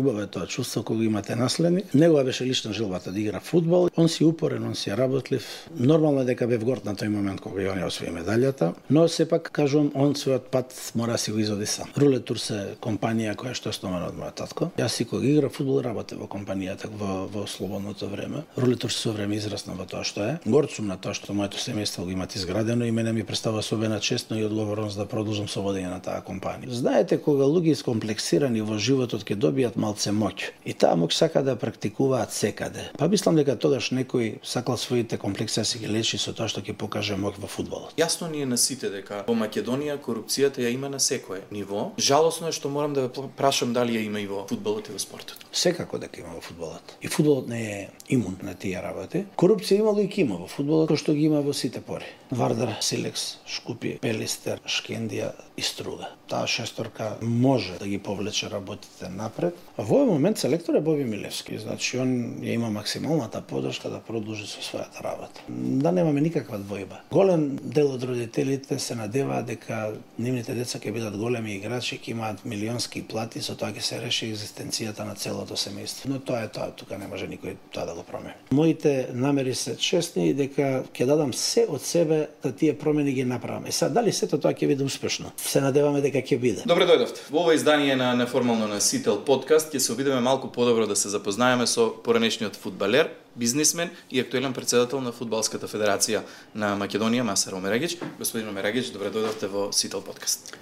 убаво е тоа чувство кога имате наследник. Негова беше лична желбата да игра фудбал. Он си упорен, он си работлив. Нормално е дека бев горд на тој момент кога ја освои медалјата, но сепак кажувам, он својот пат мора да си го изоди сам. Рулет Турс е компанија која што е основана од мојот татко. Јас си кога игра фудбал работев во компанијата во слободното време. Рулет Турс со време израсна во тоа што е. Горд сум на тоа што моето семејство го имат изградено и мене ми представа особена чест и одговорност да продолжам со водење на таа компанија. Знаете, кога луѓе искомплексирани во животот ќе добијат малце моќ и таа моќ сака да практикуваат секаде. Па мислам дека тогаш некој сакал своите комплекси да си ги лечи со тоа што ќе покаже моќ во фудбалот. Јасно ни е на сите дека во Македонија корупцијата ја има на секое ниво. Жалосно е што морам да ве прашам дали ја има и во фудбалот и во спортот. Секако дека има во фудбалот. И фудбалот не е имун на тие работи. Корупција имало и ќе има во фудбалот, кој што ги има во сите пори. Вардар, Силекс, Шкупи, Пелистер, Шкендија и Струга. Таа шесторка може да ги повлече работите напред. А во овој момент селектор е Боби Милевски, значи он ја има максималната поддршка да продолжи со својата работа. Да немаме никаква двојба. Голем дел од родителите се надеваат дека нивните деца ќе бидат големи играчи, ќе имаат милионски плати, со тоа ќе се реши екзистенцијата на целото семејство. Но тоа е тоа, тука не може никој тоа да го промени. Моите намери се честни дека ќе дадам се од себе да тие промени ги направам. Е сега дали сето тоа ќе биде успешно? Се надеваме дека ќе биде. Добре дојдовте. Во ова издание на неформално на Сител подкаст ќе се обидеме малку подобро да се запознаеме со поранешниот фудбалер, бизнисмен и актуелен председател на Фудбалската федерација на Македонија Масар Омерагич. Господин Омерагич, добре дојдовте во Сител подкаст.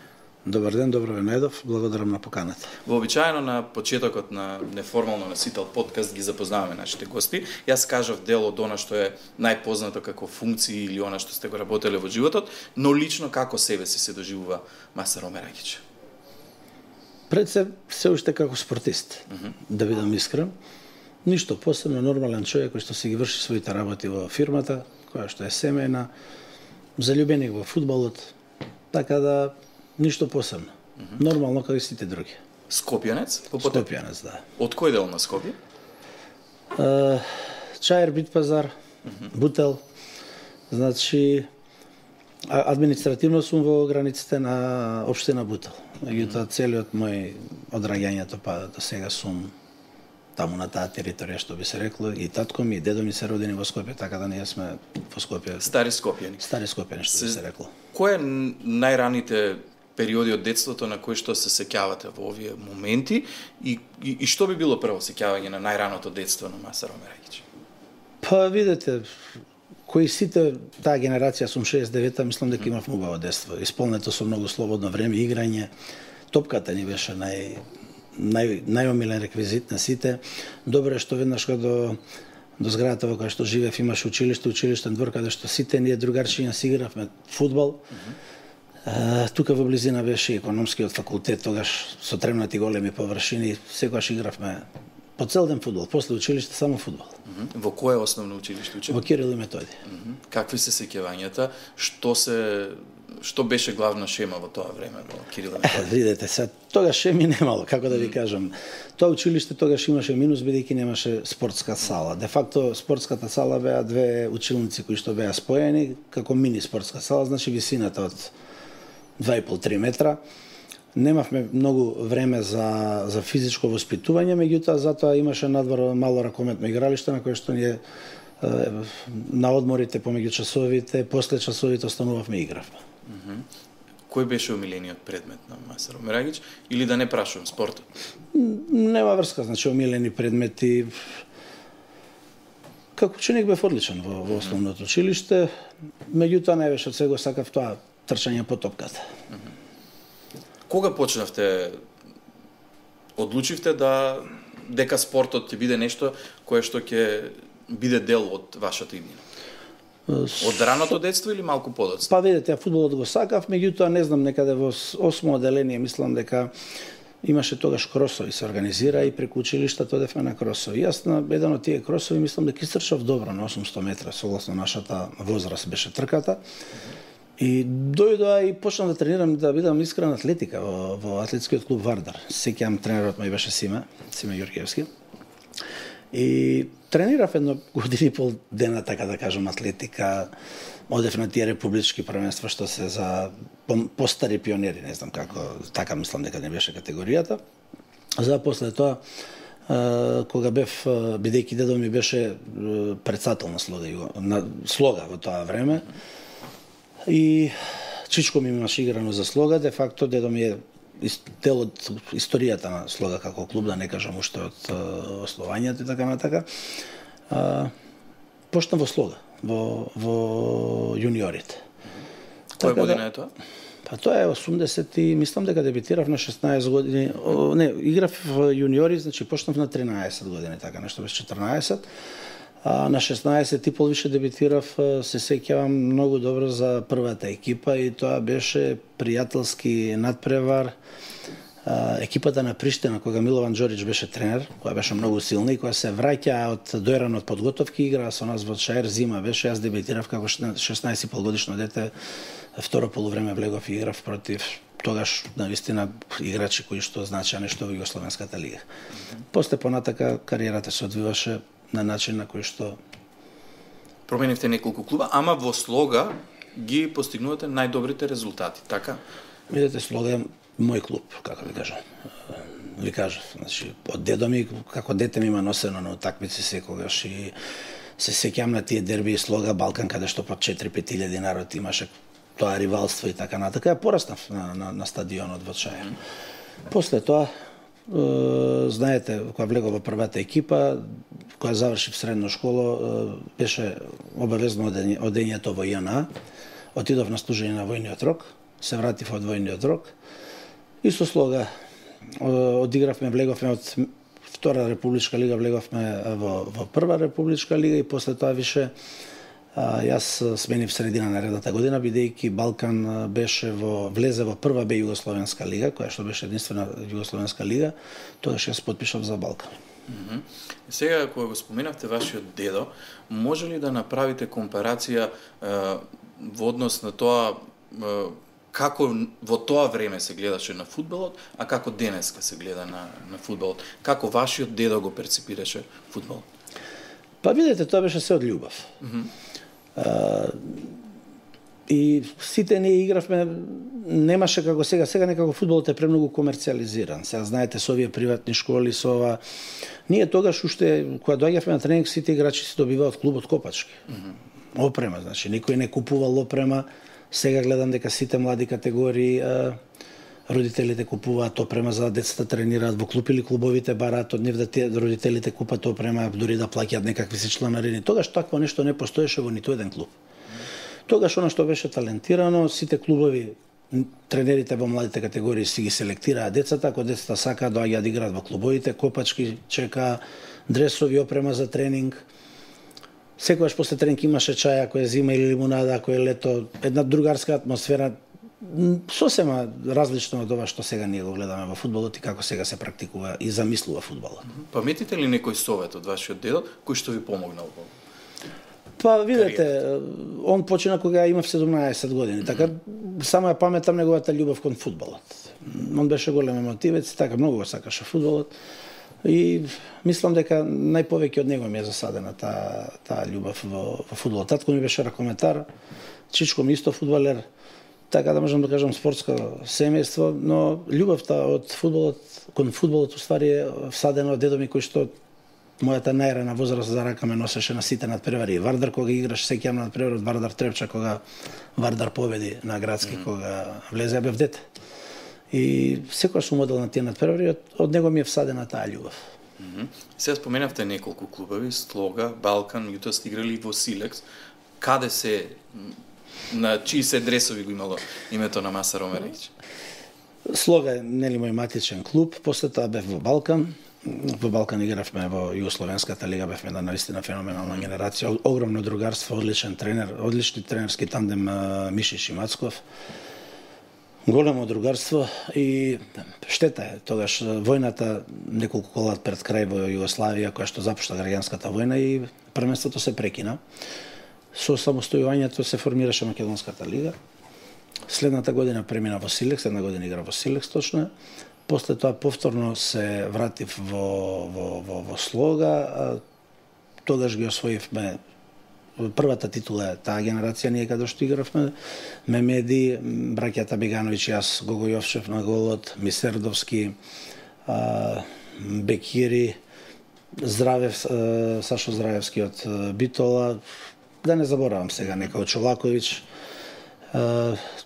Добар ден, добро ве најдов. Благодарам на поканата. Вообичаено на почетокот на неформално на Сител подкаст ги запознаваме нашите гости. Јас кажав дел од она што е најпознато како функции или она што сте го работеле во животот, но лично како себе си се доживува Масар Омерагич? Пред се уште како спортист, да бидам искрен. Ништо посебно, нормален човек кој што си ги врши своите работи во фирмата, која што е семејна, заљубеник во фудбалот, така да ништо посебно. Нормално како и сите други. Скопјанец? Скопјанец, да. Од кој дел на Скопје? Чаир, Битпазар, Бутел. Значи, административно сум во границите на општина Бутел. Меѓутоа, целиот мој одраѓањето па до сега сум таму на таа територија, што би се рекло, и татко ми и дедо ми се родени во Скопје, така да ние сме во Скопје. Стари скопјани. Стари скопјани, што би се рекло. Кој е најраните периоди од детството на кои што се сеќавате во овие моменти и што би било прво сеќавање на најраното детство на Масар Омерагич? Па видете, кои сите таа генерација сум 69-та, мислам дека имав убаво детство. Исполнето со многу слободно време, играње. Топката ни беше најомилен реквизит на сите. Добро е што веднаш кога до зградата во која што живеев имаше училиштен двор каде што сите ние другарчиња си игравме фудбал. Тука во близина беше економскиот факултет, тогаш со тремнати големи површини, секогаш игравме по цел ден фудбал, после училиште само фудбал. Во кое основно училиште учев? Во Кирил и Методи. Какви се сеќавањата? Што беше главна шема во тоа време во Кирил и Методи? Видете, сега тогаш шеми немало, како да ви кажам. Тоа училиште тогаш имаше минус бидејќи немаше спортска сала. Де факто спортската сала беа две училници кои што беа споени како мини спортска сала, значи висината од 2,5-3 метра. Немавме многу време за физичко воспитување, меѓутоа затоа имаше надвор мало ракометно игралиште на кое што ние на одморите помеѓу часовите, после часовите останувавме и игравме. Кој беше омилениот предмет на Масар Омерагич или да не прашувам спортот? Нема врска, значи омилени предмети. Како ученик бев одличен во основното училиште, меѓутоа највеќе од сега сакав тоа трчање по топката. Кога почнавте, одлучивте дека спортот ќе биде нешто кое што ќе биде дел од вашата иднина? Од раното детство или малку подоцна? Па видите, фудбалот го сакав, меѓутоа не знам, некаде во 8 оделение мислам дека имаше тогаш кросови се организира и преку училиштето одевме на кросови. Јас на еден од тие кросови мислам дека истрчав добро на 800 метра, согласно нашата возраст беше трката. И дојдоа и почнав да тренирам, да бидам искрен, атлетика во атлетскиот клуб Вардар. Сеќавам тренерот мој беше Симе Ѓурѓевски. И тренирав едно години и пол дена, така да кажам, атлетика. Одев на тие републички првенства што се за постари пионери, не знам како, така мислам дека не беше категоријата. За после тоа, кога бев, бидејќи дедо ми беше председател на Слога во тоа време, и чичко ми имаше играно за Слога, де факто дедо ми е дел од историјата на Слога како клуб, да не кажам уште од основањето и така натака. Почна во Слога, во јуниорите. Која година е тоа? Па тоа е 80 и мислам дека дебитирав на 16 години. Не, играв во јуниори, значи почнав на 13 години, така нешто без 14. А на 16 и пол више дебитирав, се сеќавам многу добро за првата екипа и тоа беше пријателски надпревар. Екипата на Приштина, кога Милован Џорич беше тренер, која беше многу силна и која се враќа од дојран од подготовки, игра со нас во Шаер, зима беше, јас дебитирав како 16,5 годишно дете, второ полувреме влегов и играв против тогаш навистина играчи кои што значеа нешто во Југословенската лига. После понатака кариерата се одвиваше на начин на кој што променивте неколку клуба, ама во Слога ги постигнувате најдобрите резултати, така? Видете, Слога е мој клуб, како ви кажам. Ви кажав, значи, од дедо ми, како дете ми има носено на утакмици секогаш и се сеќавам на тие дерби Слога Балкан, каде што по 4-5 илјади народ имаше тоа ривалство и така натака. Ја пораснав на стадионот во Шаер. После тоа, знаете, кога влегов во првата екипа, кога завршив средна школа, беше обавезно одењето во ЈНА. Отидов на служење на војниот рок, се вратив од војниот рок и со Слога одигравме, влеговме од втора републичка лига, влеговме во прва републичка лига и после тоа више јас сменив средина на редната година, бидејќи Балкан влезе во прва Б Југословенска лига, која што беше единствена Југословенска лига, тогаш јас потпишав за Балкан. Сега, кога го споменавте вашиот дедо, може ли да направите компарација во однос на тоа како во тоа време се гледаше на фудбалот, а како денеска се гледа на фудбалот? Како вашиот дедо го перципираше фудбалот? Па видете, тоа беше се од љубов. И сите ние игравме, немаше како сега. Сега некако фудбалот е премногу комерцијализиран. Сега знаете, со овие приватни школи, со ова... Ние тогаш уште, кога доаѓавме на тренинг, сите играчи се добиваат од клубот Копачки. Опрема, значи, никој не купувал опрема. Сега гледам дека сите млади категории родителите купуваат опрема за децата тренираат во клуб или клубовите бараат од нив да родителите купат опрема, дури да плаќаат некакви си чланарини. Тогаш такво нешто не постоеше во ниту еден клуб. Тогаш она што беше талентирано, сите клубови, тренерите во младите категории си ги селектираат децата, ако децата сакаат доаѓаат да играат во клубовите, Копачки чека дресови, опрема за тренинг. Секогаш после тренинг имаше чај, ако е зима или лимунада, ако е лето, една другарска атмосфера, сосема различно од ова што сега ние го гледаме во фудбалот и како сега се практикува и замислува фудбалот. Паметите ли некој совет од вашиот дедо кој што ви помогнал во? Па видете, он почина кога имав 17 години, така само ја паметам неговата љубов кон фудбалот. Он беше голем емотивец, така многу го сакаше фудбалот. И мислам дека најповеќе од него ми е засадена таа љубов во фудбалот. Татко ми беше ракометар, чичко ми исто фудбалер, така да можам да кажам спортско семејство, но љубовта од фудбалот кон фудбалот уствари е всадена од дедо ми кој што мојата најрана возраст за рака ме носеше на сите надпревари. Вардар кога играш сеќавам на надпревар од Вардар Трепча кога Вардар победи на градски кога влезе бев дете. И секогаш сум одел на тие надпревари, од него ми е всадена таа љубов. Сега споменавте неколку клубови, Слога, Балкан, јутоа сте играли во Силекс. Каде се, на чии се дресови го имало името на Маса Ромерејќ? Слога е нели мој матичен клуб, после тоа бев во Балкан. Во Балкан игравме во Југословенската лига, бевме една наистина феноменална генерација, огромно другарство, одличен тренер, одлични тренерски тандем Мишиш и Мацков. Големо другарство и штета е тогаш војната неколку кола пред крај во Југославија која што започна граѓанската војна и првенството се прекина. Со самостојувањето се формираше Македонската лига. Следната година премина во Силекс, една година игра во Силекс точно. После тоа повторно се вратив во Слога. Тогаш ги освоивме првата титула таа генерација ние каде што игравме. Мемеди, браќата Бегановиќ и јас, Гого Јовчев на голот, Мисердовски, Бекири, Сашо Здравевски од Битола, да не заборавам сега некој од Чолаковиќ.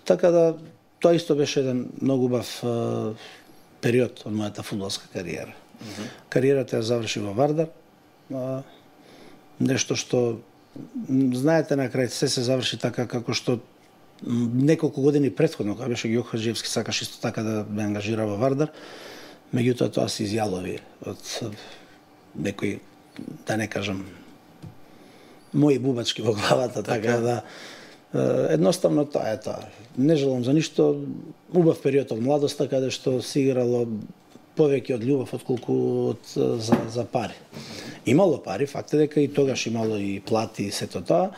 Така да, тоа исто беше еден многу убав период од мојата фудбалска кариера. Кариерата ја заврши во Вардар, нешто што, знаете, на крај се заврши така како што неколку години претходно, кога беше Гео Хаджиевски, сакаш исто така да ме ангажира во Вардар, меѓутоа тоа се изјалови од некои, да не кажам, мои бубачки во главата, така да едноставно тоа е тоа. Не желам за ништо, убав период од младоста каде што се играло повеќе од љубов отколку за пари. Имало пари, факт е дека и тогаш имало и плати и сето тоа,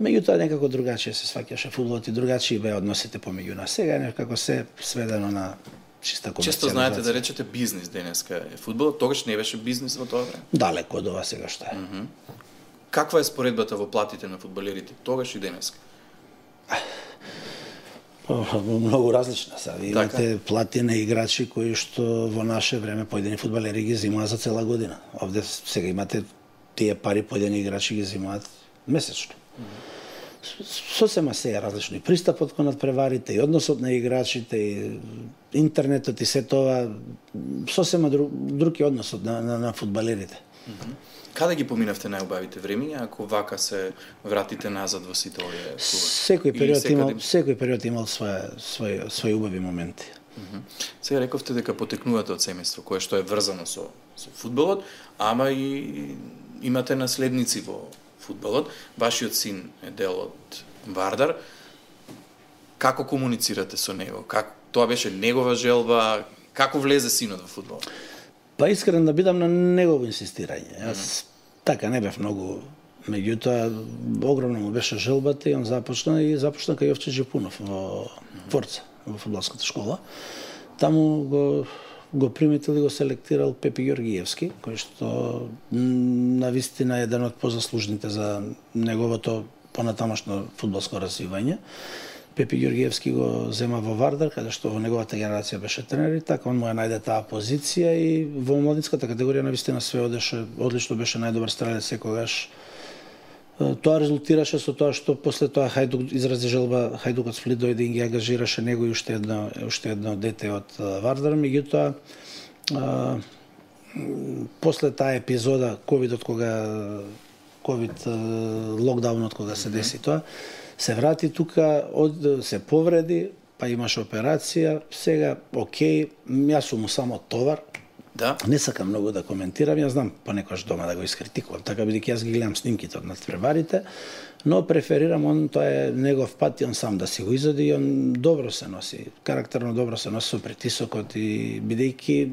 меѓутоа некако другачие се сваќаше фудбалот и другачи беа односите помеѓу нас. Сега е некако се сведено на чиста комерцијализација. Често знаете да речете бизнис денеска е фудбалот, тогаш не беше бизнис во тоа време. Далеко од ова сега што е. Каква е споредбата во платите на фудбалерите тогаш и денеска? Многу различна се. Имате плати на играчи кои што во наше време поедини фудбалери ги зимаат за цела година. Овде сега имате тие пари поедини играчи ги зимаат месечно. Сосема се е различно и пристапот кон надпреварите, и односот на играчите, и интернетот и се тоа, сосема друг е односот на фудбалерите. Каде ги поминавте најубавите времиња, ако вака се вратите назад во сите овие клубови? Секој период имал своји убави моменти. Сега рековте дека потекнувате од семејство кое што е врзано со фудбалот, ама и имате наследници во фудбалот. Вашиот син е дел од Вардар. Како комуницирате со него? Тоа беше негова желба? Како влезе синот во фудбалот? Па искрен да бидам, на негово инсистирање. Јас така не бев многу, меѓутоа огромна му беше желбата и он започна кај Јовче Джепунов во Форца, во фудбалската школа. Таму го приметил и го селектирал Пепи Ѓоргиевски, кој што навистина е еден од позаслужните за неговото понатамошно фудбалско развивање. Пепи Ѓоргиевски го зема во Вардар, каде што во неговата генерација беше тренер и така он му ја најде таа позиција и во младинската категорија навистина све одеше одлично, беше најдобар стрелец секогаш. Тоа резултираше со тоа што после тоа Хајдук изрази желба, Хајдук од Сплит дојде и ги ангажираше него и уште едно дете од Вардар, меѓутоа после таа епизода ковидот ковид локдаунот кога се деси тоа, се врати тука, се повреди, па имаше операција, сега окей, јас сум му само товар. Да. Не сакам многу да коментирам, јас знам понекогаш дома да го искритикувам, така бидејќи јас ги гледам снимките од надпреварите, но преферирам тоа е негов пат и он сам да си го изоди и он добро се носи, карактерно добро се носи со притисокот и бидејќи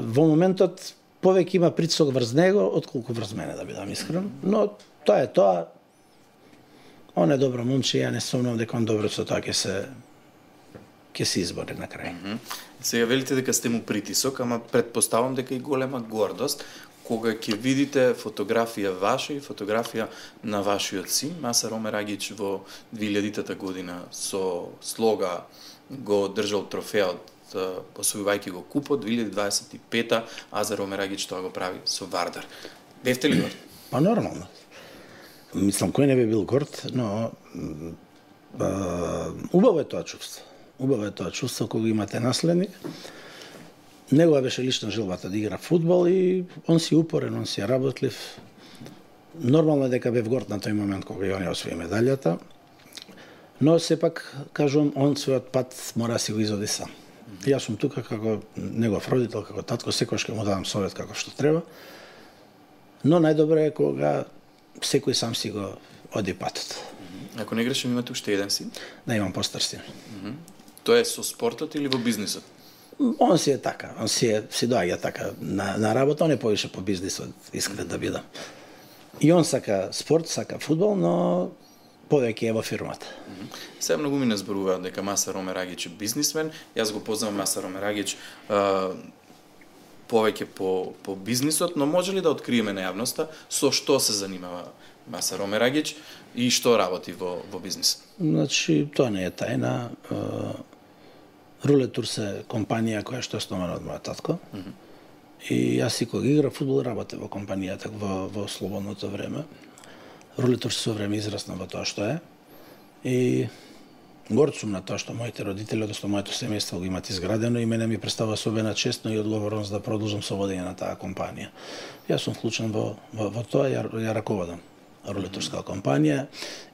во моментот повеќе има притисок врз него отколку врз мене, да бидам искрен, но тоа е тоа. Он е добро момче, ја не сумнам дека он добро со тоа ќе се избори на крај. Сега велите дека сте му притисок, ама предпоставам дека и голема гордост кога ќе видите фотографија ваша и фотографија на вашиот син, Масар Омерагич, во 2000-та година со слога го држал трофеот, освојувајќи го купот, 2025-та Азар Омерагич тоа го прави со Вардар. Бевте ли горд? Па нормално. Мислам, кој не би бил горд, но убаво е тоа чувство. Убаво е тоа чувство кога имате наследник. Негова беше лична желбата да игра фудбал и он си упорен, он си работлив. Нормално е дека бев горд на тој момент кога ја освои медалјата, но сепак, кажувам, он својот пат мора да си го изоди сам. Јас сум тука како негов родител, како татко, секогаш ќе му давам совет како што треба, но најдобро е кога секој сам си го оди патот. Ако не грешам, имате уште еден син? Да, имам постар син. Тоа е со спортот или во бизнисот? Он си е така, он си доаѓа така на работа, он е повише по бизнисот, искрен да бидам. И он сака спорт, сака фудбал, но повеќе е во фирмата. Сега многу ми не зборуваат дека Масар Омерагич е бизнисмен. Јас го познавам Масар Омерагич повеќе по бизнисот, но може ли да откриеме на јавноста со што се занимава Масар Омерагич и што работи во бизнис? Значи, тоа не е тајна. Руле Турс е компанија која што е основана од мојот татко. И јас и кога играв фудбал работев во компанијата во слободното време. Руле Турс со време израсна во тоа што е. И горд сум на тоа што моите родители, односно моето семејство го имат изградено и мене ми представува особена чест и одговорност да продолжам со водење на таа компанија. Јас сум вклучен во тоа, ја раководам Руле Турска компанија.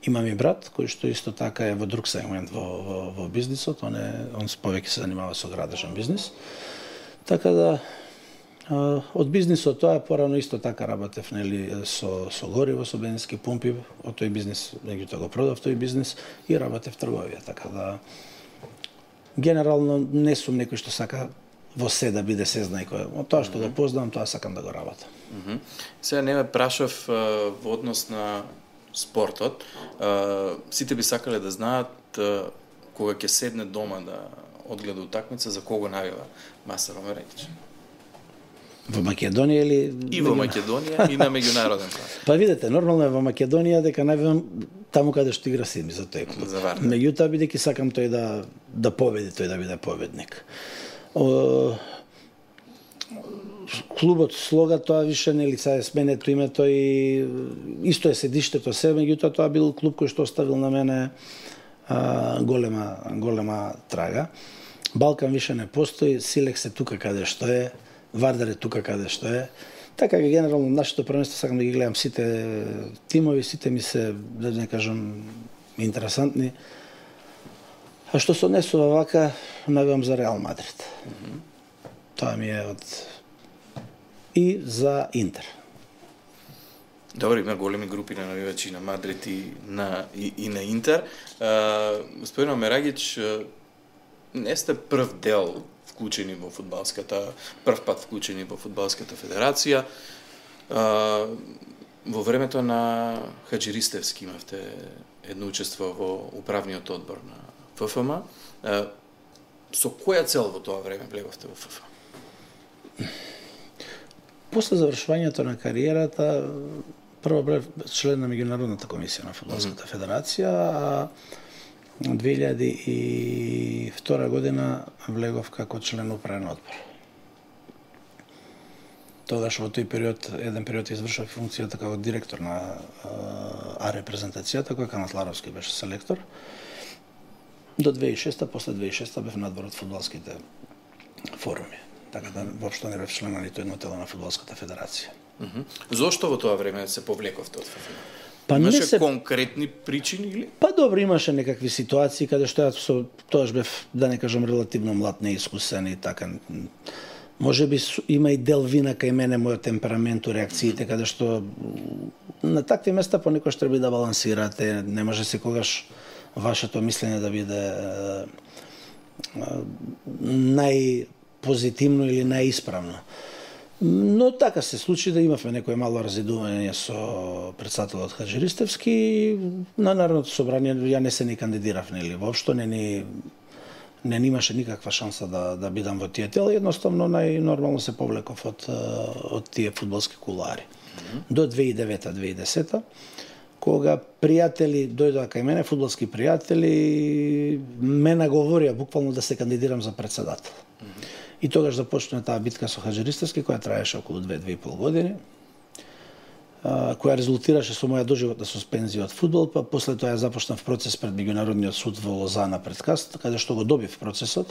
Имам и брат кој што исто така е во друг сегмент во бизнисот, он повеќе се занимава со градежен бизнис. Така да од бизнисот тоа порано исто така работев со гориво, со бензински пумпи, од тој бизнис меѓутоа го продав тој бизнис и работев трговија, така да генерално не сум некој што сака во се да биде сезнај, од тоа што го познавам, тоа сакам да го работам. Сега не ме прашав во однос на спортот. Сите би сакале да знаат кога ќе седне дома да одгледа утакмица, за кого навива Масе Ромереќ? Во Македонија или... И во Македонија, и на меѓународен план. Па видете, нормално е во Македонија дека навивам таму каде што игра Сими за тој клуб. Меѓутоа, бидејќи сакам тој да победи, тој да биде победник. Клубот Слога тоа више нели са е сменето името и исто е седиштето се, меѓутоа тоа бил клуб кој што оставил на мене голема трага. Балкан више не постои, Силекс е тука каде што е, Вардар е тука каде што е. Така генерално нашето првенство сакам да ги гледам сите тимови, сите ми се, да не кажам, интересантни. А што се однесува вака, навивам за Реал Мадрид. Тоа ми е од... И за Интер. Добро, има големи групи на навивачи на Мадрид и на Интер. Господин Омерагич, не сте прв дел вклучени во фудбалската, прв пат вклучени во фудбалската федерација. Во времето на Хаџиристевски имавте едно учество во управниот одбор на ФФМ. Со која цел во тоа време влеговте во ФФ? После завршувањето на кариерата, прво бев член на меѓународната комисија на фудбалската федерација, а 2002 година влегов како член управен одбор. Тогаш во тој период, еден период извршав функцијата како директор на А репрезентацијата, која Канат Ларовски беше селектор. До 2006, после 2006 бев надвор од фудбалските форуми. Така да воопшто не бев член на нито едно тело на фудбалската федерација. Зошто во тоа време се повлековте од ФФ? Па имаше конкретни причини или? Па добро, имаше некакви ситуации каде што јас тоаш бев, да не кажам, релативно млад, неискусен и така. Може би има и дел вина кај мене, мојот темперамент, реакциите, каде што на такви места понекогаш треба да балансирате, не може секогаш вашето мислење да биде најпозитивно или најисправно. Но така се случи да имавме некој мало разидување со претседателот Хаџиристевски и на Народното собрание ја не се ни кандидирав, нели, воопшто не имаше никаква шанса да бидам во тие тела, едноставно најнормално се повлеков од тие фудбалски кулуари. До 2009-2010, кога пријатели дојдоа кај мене, фудбалски пријатели, ме наговорија буквално да се кандидирам за претседател. И тогаш започна таа битка со Хаџиристевски, која траеше околу 2-2,5 години, која резултираше со моја доживотна суспензија од фудбал, па после тоа ја започнав процес пред Меѓународниот суд во Лозана пред Каст, каде што го добив процесот.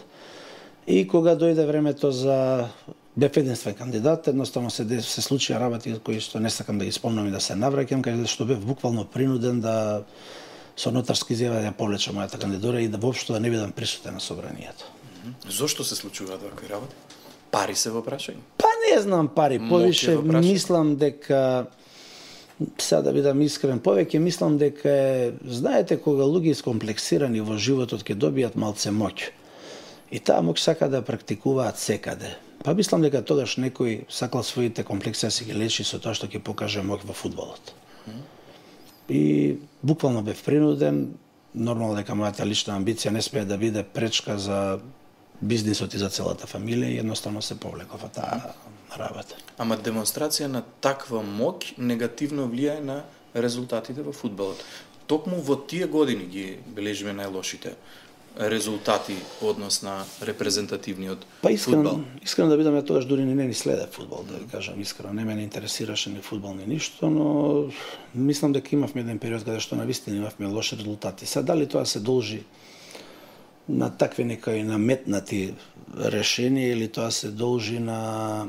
И кога дојде времето за бев единствен кандидат, едноставно се случија работи кои што не сакам да ги спомнам и да се навраќам, каде што бев буквално принуден да со нотарски изјава да ја повлечам мојата кандидатура и да воопшто да не бидам присутен на собранието. Зошто се случуваат вакви работи? Пари се во прашање? Па не знам пари, повише мислам дека, сега да бидам искрен, повеќе мислам дека знаете кога луѓе искомплексирани во животот ќе добијат малце моќ. И таа моќ сака да практикуваат секаде. Па мислам дека тогаш некој сакал своите комплекси да си ги лечи со тоа што ќе покаже моќ во фудбалот. И буквално бев принуден, нормално дека мојата лична амбиција не смее да биде пречка за бизнисот и за целата фамилија и едноставно се повлеков од таа работа. Ама демонстрација на таква моќ негативно влијае на резултатите во фудбалот. Токму во тие години ги бележиме најлошите резултати во однос на репрезентативниот фудбал? Искрено да бидам, ја тогаш дури не ни следев фудбал, да ви кажам искрено, не ме интересираше ни фудбал ни ништо, но мислам дека имавме еден период каде што навистина имавме лоши резултати. Сега дали тоа се должи на такви некои наметнати решенија или тоа се должи на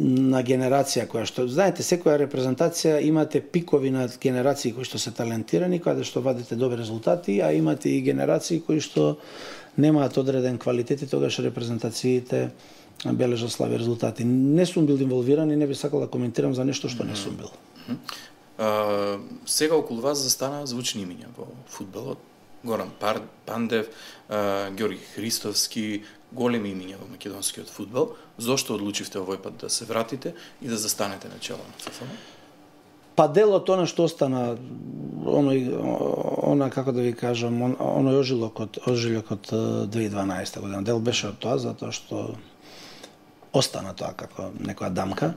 генерација која што, знаете, секоја репрезентација имате пикови на генерации кои што се талентирани, каде што вадите добри резултати, а имате и генерации кои што немаат одреден квалитет и тогаш репрезентациите бележат слаби резултати. Не сум бил инволвиран и не би сакал да коментирам за нешто што не сум бил. Сега околу вас застана звучни имиња во фудбалот. Горан Пандев, Ѓорги Христовски, големи имиња во македонскиот фудбал. Зошто одлучивте овој пат да се вратите и да застанете на чело на ФФМ? Па дел од она што остана, она како да ви кажам, оној ожилок од 2012 година. Дел беше од тоа затоа што остана тоа како некоја дамка.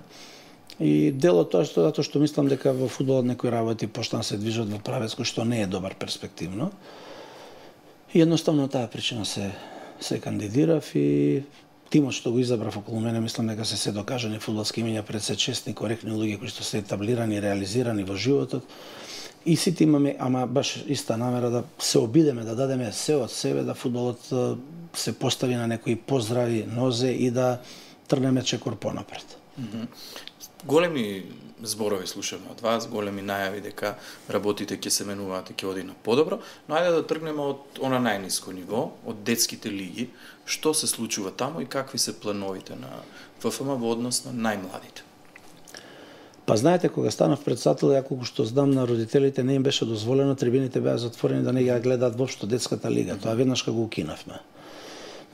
И дел од тоа затоа што мислам дека во фудбалот некои работи почнаа се движат во правец кој што не е добар перспективно. И едноставно таа причина се кандидирав и тимот што го избрав околу мене, мислам дека се докажани фудбалски имиња, пред се честни, коректни луѓе кои што се етаблирани и реализирани во животот. И сите имаме, ама баш иста намера да се обидеме, да дадеме се од себе, да фудбалот се постави на некои поздрави нозе и да трнеме чекор понапред. Големи зборови слушаме од вас, големи најави дека работите ќе се менуваат и ќе оди на подобро, но ајде да тргнеме од она најниско ниво, од детските лиги. Што се случува таму и какви се плановите на ФФМ во однос на најмладите? Па знаете, кога станав председател, ја колку што знам на родителите не им беше дозволено, трибините беа затворени да не ги гледаат воопшто детската лига. Тоа веднаш кога го укинавме.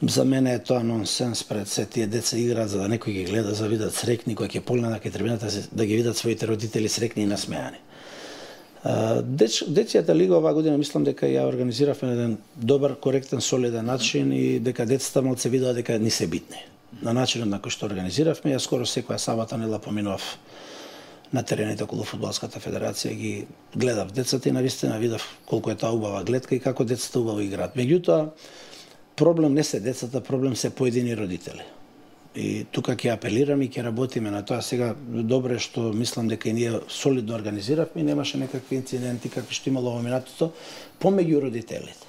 За мене е тоа нонсенс, пред се тие деца играат за да некој ги гледа, за да видат срекни, кои ќе погледнат кај трибината да ги видат своите родители срекни и насмеани. Дечјата лига оваа година мислам дека ја организиравме на еден добар, коректен, солиден начин и дека децата малце видоа дека ни се битни. На начинот на кој што организиравме, ја скоро секоја сабота недела поминував на терените околу Фудбалската федерација, ги гледав децата и навистина видов колку е таа убава гледка и како децата убаво играат. Меѓутоа, проблем не се децата, проблем се поедини родители. И тука ќе апелирам и ќе работиме на тоа. Сега добро е што мислам дека и ние солидно организиравме и немаше некакви инциденти какви што имало во минатото помеѓу родителите.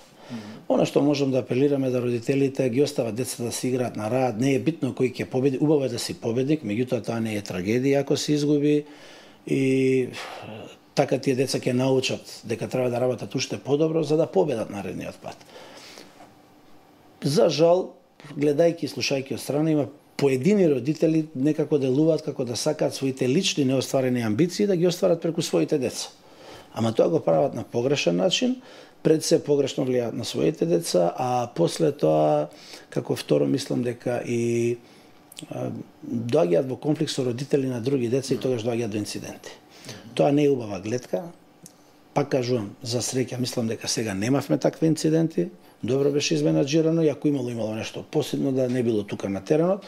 Она што можам да апелираме да родителите ги остават децата да се играат на раат, не е битно кој ќе победи, убаво е да си победник, меѓутоа тоа не е трагедија ако се изгуби и така тие деца ќе научат дека треба да работат уште подобро за да победат наредниот пат. За жал, гледајќи и слушајќи од страна, има поедини родители некако делуваат како да сакаат своите лични неостварени амбиции да ги остварат преку своите деца. Ама тоа го прават на погрешен начин, пред се погрешно влијаат на своите деца, а после тоа, како второ, мислам дека и доаѓаат во конфликт со родители на други деца и тогаш доаѓаат до инциденти. Тоа не е убава гледка. Пак кажувам, за среќа, мислам дека сега немавме такви инциденти. Добро беше изменаџирано, и ако имало нешто посебно да не било тука на теренот,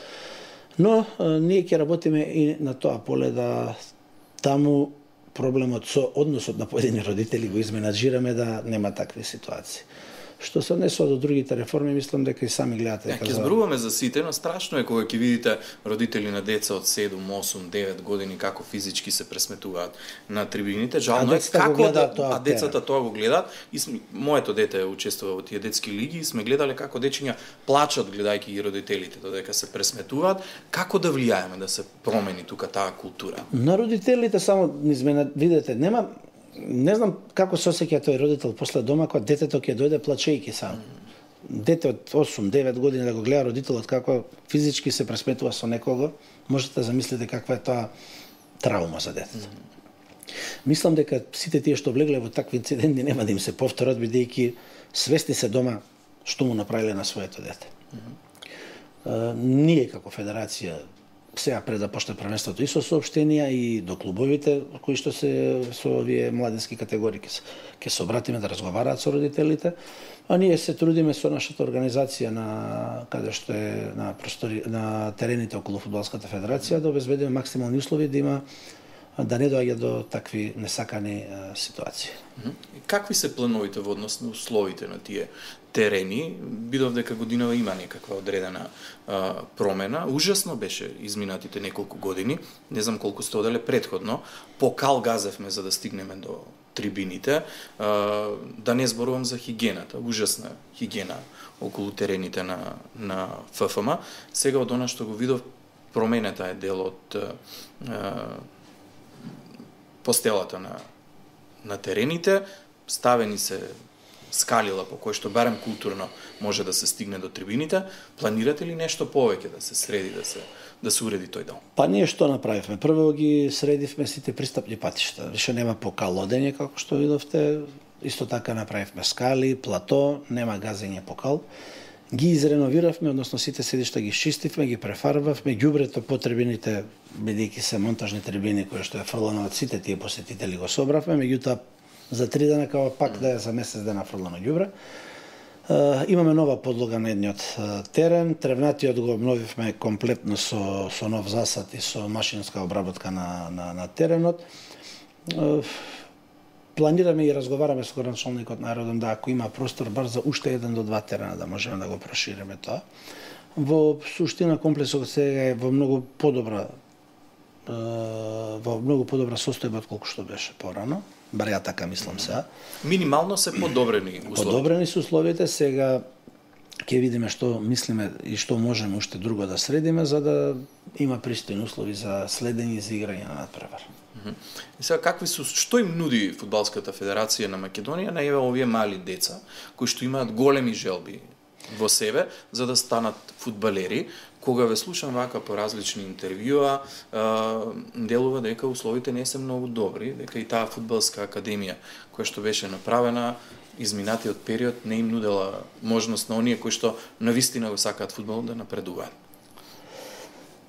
но ние ќе работиме и на тоа поле да таму проблемот со односот на поедини родители го изменаџираме да нема такви ситуации. Што се однесува до другите реформи, мислам дека и сами гледате. Ќе зборуваме за сите, но страшно е кога ќе видите родители на деца од 7, 8, 9 години како физички се пресметуваат на трибините. Жално е како децата тоа го гледаат. И моето дете учествува во тие детски лиги и сме гледале како дечиња плачат гледајќи ги родителите додека се пресметуваат. Како да влијаеме да се промени тука таа култура? На родителите само видете, нема. Не знам како се осеќа тој родител после дома кога детето ќе дојде плачејќи сам. Дете од 8-9 години да го гледа родителот како физички се пресметува со некого, можете да замислите каква е тоа траума за детето. Мислам дека сите тие што влегле во такви инциденти нема да им се повторат, бидејќи свесни се дома што му направиле на своето дете. Ние како федерација сега пред да почне првенството и со соопштенија и до клубовите кои што се со овие младински категории ќе се обратиме да разговараат со родителите, а ние се трудиме со нашата организација на каде што е на терените околу Фудбалската федерација да обезбедиме максимални услови да има да не доаѓа до такви несакани ситуации. Какви се плановите во однос на условите на тие терени, бидов дека годинава има некаква одредена промена. Ужасно беше изминатите неколку години, не знам колку сте оделе предходно, покал газевме за да стигнеме до трибините, да не зборувам за хигиената, ужасна хигиена околу терените на ФФМ. Сега од она што го видов, променета е дел од постелата на терените, ставени се скалила по кој што барем културно може да се стигне до трибините. Планирате ли нешто повеќе да се среди, да се уреди тој дел? Па ние што направивме? Прво ги средивме сите пристапни патишта. Више нема покалодење, како што видовте. Исто така направивме скали, плато, нема газење покал. Ги изреновиравме, односно сите седишта ги чистивме, ги префарбавме, ѓубрето по трибините, бидејќи се монтажни трибини кои што е фрлано од сите тие посетители го собравме, меѓутоа за 3 дена као пак да е за месец дена фрлано ѓубре. Имаме нова подлога на едниот терен, тревнатиот го обновивме комплетно со нов засад и со машинска обработка на теренот. Планираме и разговараме со градоначалникот на аеродrom да ако има простор бар за уште 1 до 2 терена да можеме да го прошириме тоа. Во суштина комплексот сега е во многу подобра состојба од колку што беше порано. Бар ја така мислам сега. Минимално се подобрени условите. Подобрени се условите, сега ќе видиме што мислиме и што можеме уште друго да средиме за да има пристојни услови за следење и за играње на надпревар. И сега што им нуди Фудбалската федерација на Македонија на овие мали деца кои што имаат големи желби во себе за да станат фудбалери? Кога ве слушам вака по различни интервјуа, делува дека условите не се многу добри, дека и таа фудбалска академија која што беше направена изминатиот период не им нудела можност на оние кои што навистина го сакаат фудбал да напредуваат.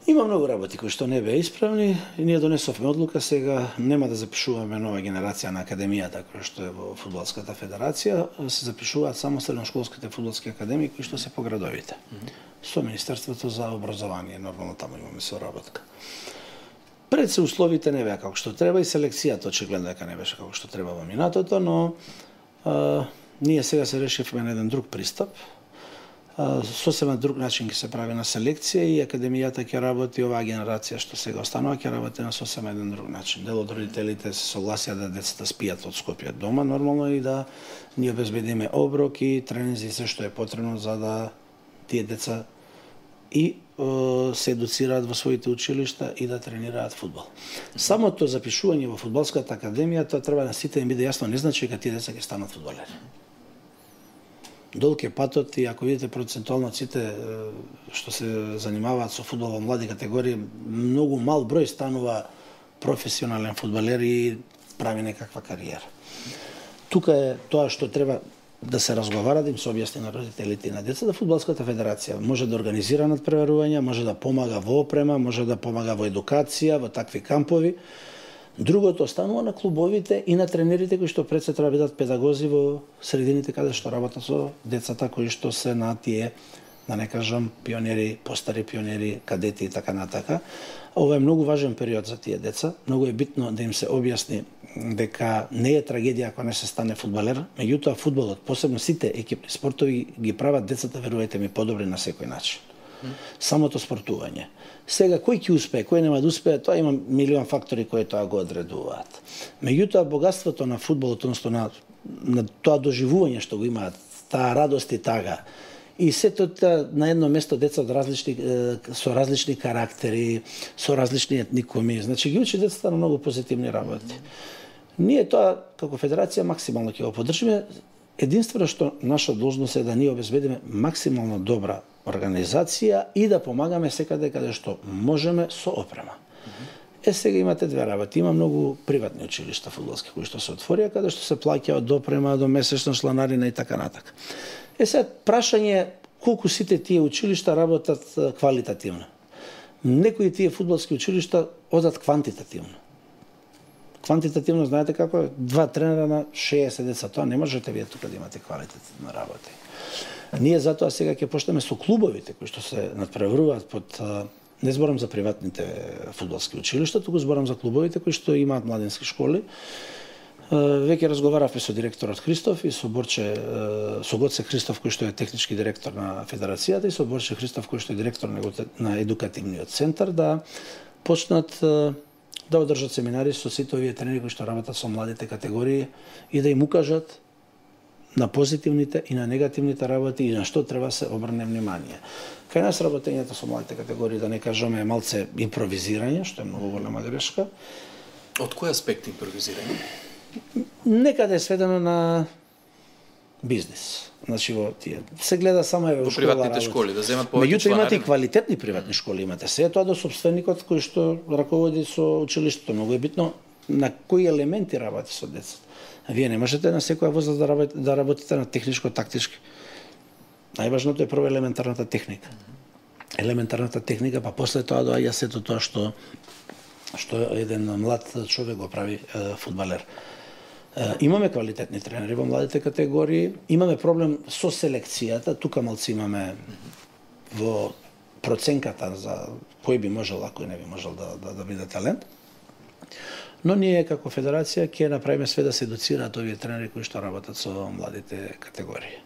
Има многу работи кои што не беа исправни и ние донесовме одлука сега нема да запишуваме нова генерација на академијата која што е во Фудбалската федерација, се запишуваат само средношколските фудбалски академии кои што се по градовите. Со Министерството за образование, нормално таму имаме соработка. Пред се условите не беа како што треба и селекцијата очигледно дека не беше како што треба во минатото, но ние сега се решивме на еден друг пристап. Сосема друг начин ќе се прави на селекција и академијата ќе работи, оваа генерација што сега останува ќе работи на сосема еден друг начин. Дел од родителите се согласија да децата спијат од Скопје дома нормално и да ние обезбедиме оброк и тренинзи се што е потребно за да тие деца и се едуцираат во своите училишта и да тренираат фудбал. Самото запишување во Фудбалската академија тоа треба на сите им биде јасно, не значи дека тие деца ќе станат фудбалери. Долг е патот и ако видите процентуално сите што се занимаваат со фудбал во млади категории, многу мал број станува професионален фудбалер и прави некаква кариера. Тука е тоа што треба да се разговара, да им се објасни на родителите и на децата. Фудбалската федерација може да организира надпреварувања, може да помага во опрема, може да помага во едукација, во такви кампови. Другото останува на клубовите и на тренерите кои што пред се треба бидат педагози во средините каде што работат со децата кои што се на тие, да не кажам, пионери, постари пионери, кадети и така натака. Ова е многу важен период за тие деца. Многу е битно да им се објасни дека не е трагедија ако не се стане фудбалер, меѓутоа фудбалот, посебно сите екипни спортови ги прават децата, верувајте ми, подобри на секој начин. Самото спортување. Сега кој ќе успее, кој нема да успее, тоа има милион фактори кои тоа го одредуваат. Меѓутоа богатството на фудбалот, односно на тоа доживување што го имаат, таа радост и тага, и сето на едно место деца од со различни карактери, со различни етникуми, значи ги учи децата на многу позитивни работи. Ние тоа како федерација максимално ќе го поддржиме. Единствено што наша должност е да ние обезбедиме максимално добра организација и да помагаме секаде каде што можеме со опрема. Сега имате две работи. Има многу приватни училишта фудбалски кои што се отворија, каде што се плаќа од опрема до месечна чланарина и така натака. Сега прашање колку сите тие училишта работат квалитативно. Некои тие фудбалски училишта одат квантитативно. Квантитативно знаете како е? 2 тренера на 60 деца. Тоа не можете вие тука да имате квалитативна работа. Ние затоа сега ќе почнеме со клубовите кои што се надпреваруваат под Не зборам за приватните фудбалски училишта, туку зборам за клубовите кои што имаат младински школи. Веќе разговаравме со директорот Христов и со Гоце Христов кој што е технички директор на федерацијата и со Борче Христов кој што е директор на едукативниот центар да почнат да одржат семинари со сите овие тренери кои што работат со младите категории и да им укажат на позитивните и на негативните работи и на што треба се обрне внимание. Кај нас работењето со младите категории, да не кажеме, е малце импровизирање, што е многу голема грешка. Од кој аспект импровизирање? Некаде е сведено на бизнис. Значи во тие се гледа само во приватните школи да земат повеќе членари. Меѓутоа имате и квалитетни приватни школи, имате се тоа до собственикот кој што раководи со училиштето. Многу е битно на кои елементи работи со децата. Вие не можете на секоја возраст да работите на техничко-тактички. Најважното е прво елементарната техника. Елементарната техника, па после тоа доаѓа сето тоа што еден млад човек го прави фудбалер. Имаме квалитетни тренери во младите категории, имаме проблем со селекцијата, тука малци имаме во проценката за кој би можел, а кој не би можел да биде талент. Но ние како федерација ќе направиме све да се едуцираат овие тренери кои што работат со младите категории.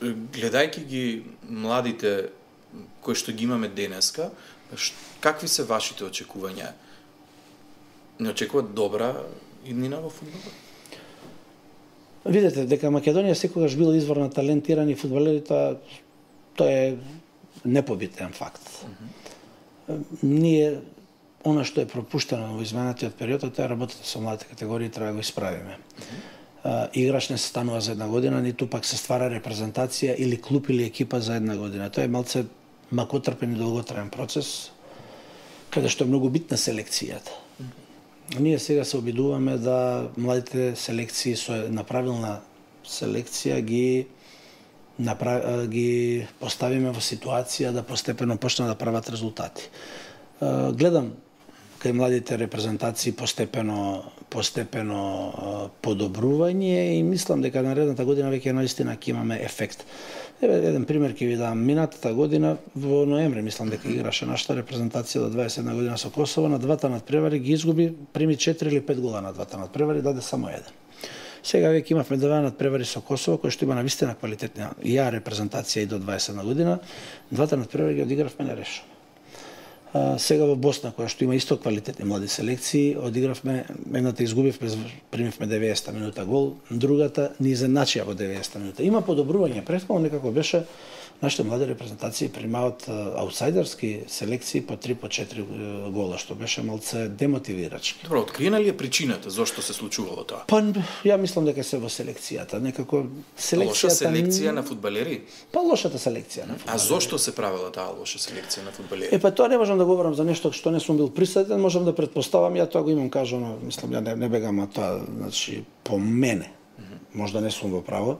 Гледајќи ги младите кои што ги имаме денеска, какви се вашите очекувања? Не очекуват добра иднина во фудбалот? Видете, дека Македонија секогаш била извор на талентирани фудбалери, тоа е непобитен факт. Ние она што е пропуштено во изминатиот период, тоа е работата со младите категории, треба да го исправиме. Играч не се станува за една година, ниту пак се ствара репрезентација или клуб или екипа за една година. Тоа е малце макотрпен и долготраен процес, каде што е многу битна селекцијата. Ние сега се обидуваме да младите селекции со направилна селекција ги поставиме во ситуација да постепено почнат да прават резултати. Гледам кај младите репрезентации постепено подобрување и мислам дека наредната година веќе наистина ќе имаме ефект. Еден пример ќе ви дам. Минатата година во ноември мислам дека играше нашата репрезентација до 21 година со Косово, на двата надпревари ги изгуби, прими 4 или 5 гола на двата надпревари, даде само еден. Сега веќе имавме два надпревари со Косово кој што има навистина квалитетна репрезентација и до 21 година, двата надпревари ги одигравме нерешено. Сега во Босна, која што има исто квалитетни млади селекции, одигравме, едната изгубивме, примивме 90 минута гол, другата ни изедначија во 90 минута. Има подобрување, претходно некако беше нашите млади репрезентации примаат аутсайдерски селекции по 3 по 4 гола, што беше малце демотивирачки. Добро, откриена ли е причината зошто се случувало тоа? Па ја мислам дека се во селекцијата, некако селекцијата. Лоша селекција на фудбалери? Па лошата селекција на фудбалери. А зошто се правела таа лоша селекција на фудбалери? Па тоа не можам да говорам за нешто што не сум бил присутен, можам да претпоставам, ја тоа го имам кажано, мислам ја не бегам, а тоа значи по мене. Можда не сум во право,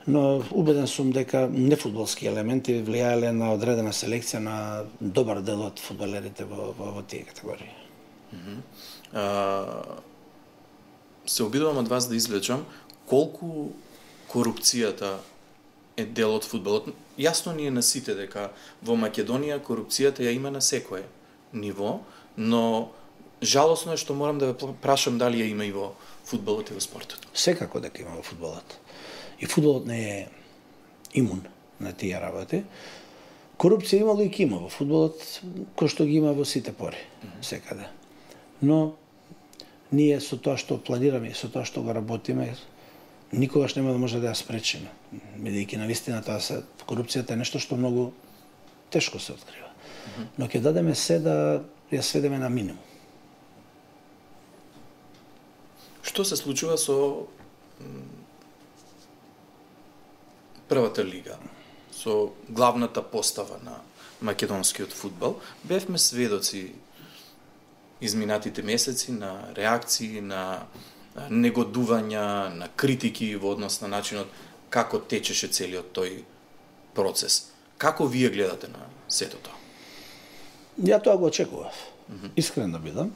но убеден сум дека нефудбалски елементи влијаеле на одредена селекција на добар дел од фудбалерите во тие категории. Се обидувам од вас да извлечам колку корупцијата е дел од фудбалот. Јасно ни е на сите дека во Македонија корупцијата ја има на секое ниво, но жалосно е што морам да ве прашам дали ја има и во фудбалот и во спортот. Секако дека има во фудбалот. И фудбалот не е имун на тие работи. Корупција имало и има во фудбалот, кој што ги има во сите пори, секаде. Но ние со тоа што планираме и со тоа што го работиме, никогаш нема да може да ја спречиме. Бидејќи навистина корупцијата е нешто што многу тешко се открива. Но ќе дадеме се да ја сведеме на минимум. Што се случува со првата лига, со главната постава на македонскиот фудбал? Бевме сведоци изминатите месеци на реакции, на негодувања, на критики во однос на начинот како течеше целиот тој процес. Како вие гледате на сето тоа? Ја тоа го очекував. Искрен да бидам.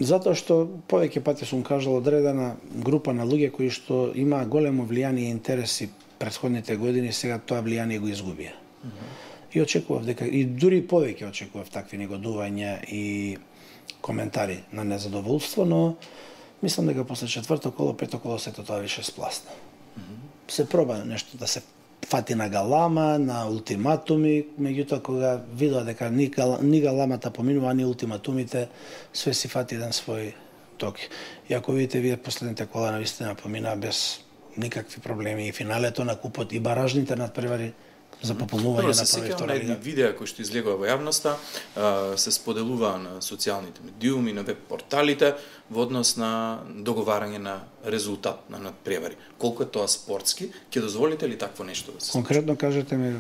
Затоа што повеќе пати сум кажал одредена група на луѓе кои што има големо влијание и интереси претходните години, сега тоа влијание го изгубија. И очекував дека и дури повеќе очекував такви негодувања и коментари на незадоволство, но мислам дека после четврто коло, пето коло сето тоа више спласна. Се проба нешто да се фати на галама, на ултиматуми, меѓутоа кога видоа дека ни галамата поминува, ни ултиматумите, све си фати еден свој ток. И ако видите, вие последните кола навистина помина без никакви проблеми и финалето на купот и баражните надпревари за пополнување на прва и втора лига. Видеа кои што излегува во јавноста, се споделуваа на социјалните медиуми, на веб порталите во однос на договарање на резултат на надпревари. Колку е тоа спортски, ќе дозволите ли такво нешто да се случи? Конкретно кажете ми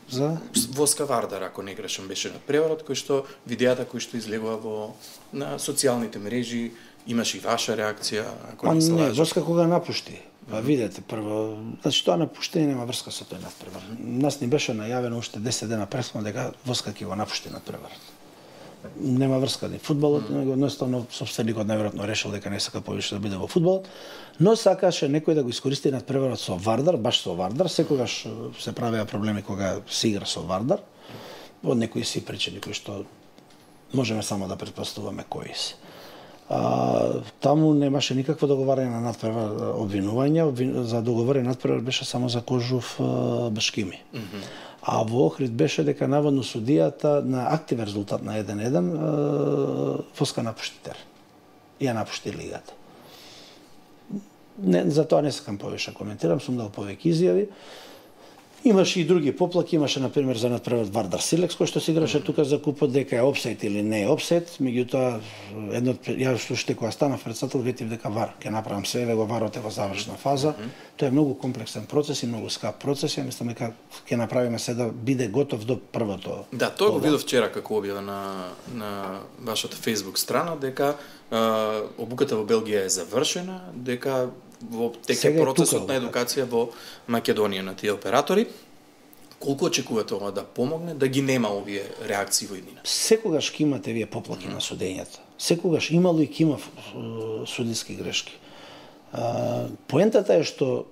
за Воска Вардар, ако не грешам, беше надпреварот кој што видеата кои што излегува на социјалните мрежи, имаш и ваша реакција, ако не се лажам. Не, Воска кога напушти. Па видете прво, значи тоа напуштење нема врска со тој надпревар. Нас ни беше најавено уште 10 дена пресно дека Воска ќе го напушти надпреварот. Нема врска ни фудбалот, него едноставно сопственикот најверојатно решил дека не сака повеќе да биде во фудбалот, но сакаше некој да го искористи надпреварот со Вардар, баш со Вардар, секогаш се правеа проблеми кога се игра со Вардар, од некои си причини кои што можеме само да претпоставуваме кои се. Таму немаше никакво договарање на надпревар, обвинување, за договорен надпревар беше само за Кожув Башкими. А во Охрид беше дека наводно судијата на активен резултат на 1-1 Воска напушти тер. И ја напушти лигата. За тоа не сакам повеќе коментирам, сум дал повеќе изјави. Имаше и други поплаки, имаше например за надпревар Вардар Силекс кој што се играше тука за купот, дека е опсайд или не е опсайд, меѓутоа јас уште кога станав председател ветив дека ВАР ќе направам се, го ВАРот е во завршна фаза. Тоа е многу комплексен процес и многу скап процес, ја мислам дека ќе направиме се да биде готов до првото. Да, тоа го видов вчера како објава на вашата Facebook страна дека обуката во Белгија е завршена, дека во теке процесот на едукација во Македонија на тие оператори. Колку очекувате ова да помогне, да ги нема овие реакции во иднина? Секогаш ќе имате вие поплаки на судењата. Секогаш имало и ќе има судиски грешки. Поентата е што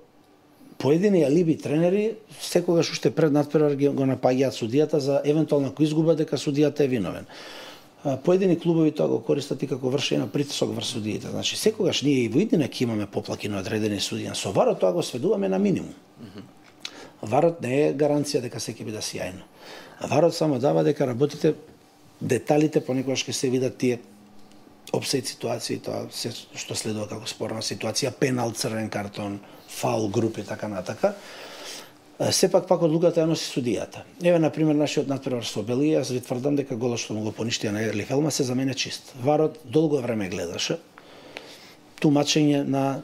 поедини алиби тренери секогаш уште пред надпревар го напаѓаат судијата за евентуална изгуба дека судијата е виновен. Поедини клубови тоа го користат и како вршење на притисок врз судиите. Значи секогаш ние и во иднина ќе имаме поплаки на одредени судија. Со ВАРот тоа го сведуваме на минимум. ВАРот не е гаранција дека се ќе биде сјајно. ВАРот само дава дека работите, деталите понекогаш ќе се видат тие опсайд ситуации, тоа се што следува како спорна ситуација, пенал, црвен картон, фаул, групи, така натака. Сепак пак одлуката ја носи судијата. Еве на пример нашиот надпревар со Белгија, јас ви тврдам дека голот што му го поништија на Ерлих Елма се за мене чист. ВАРот долго време гледаше тумачење на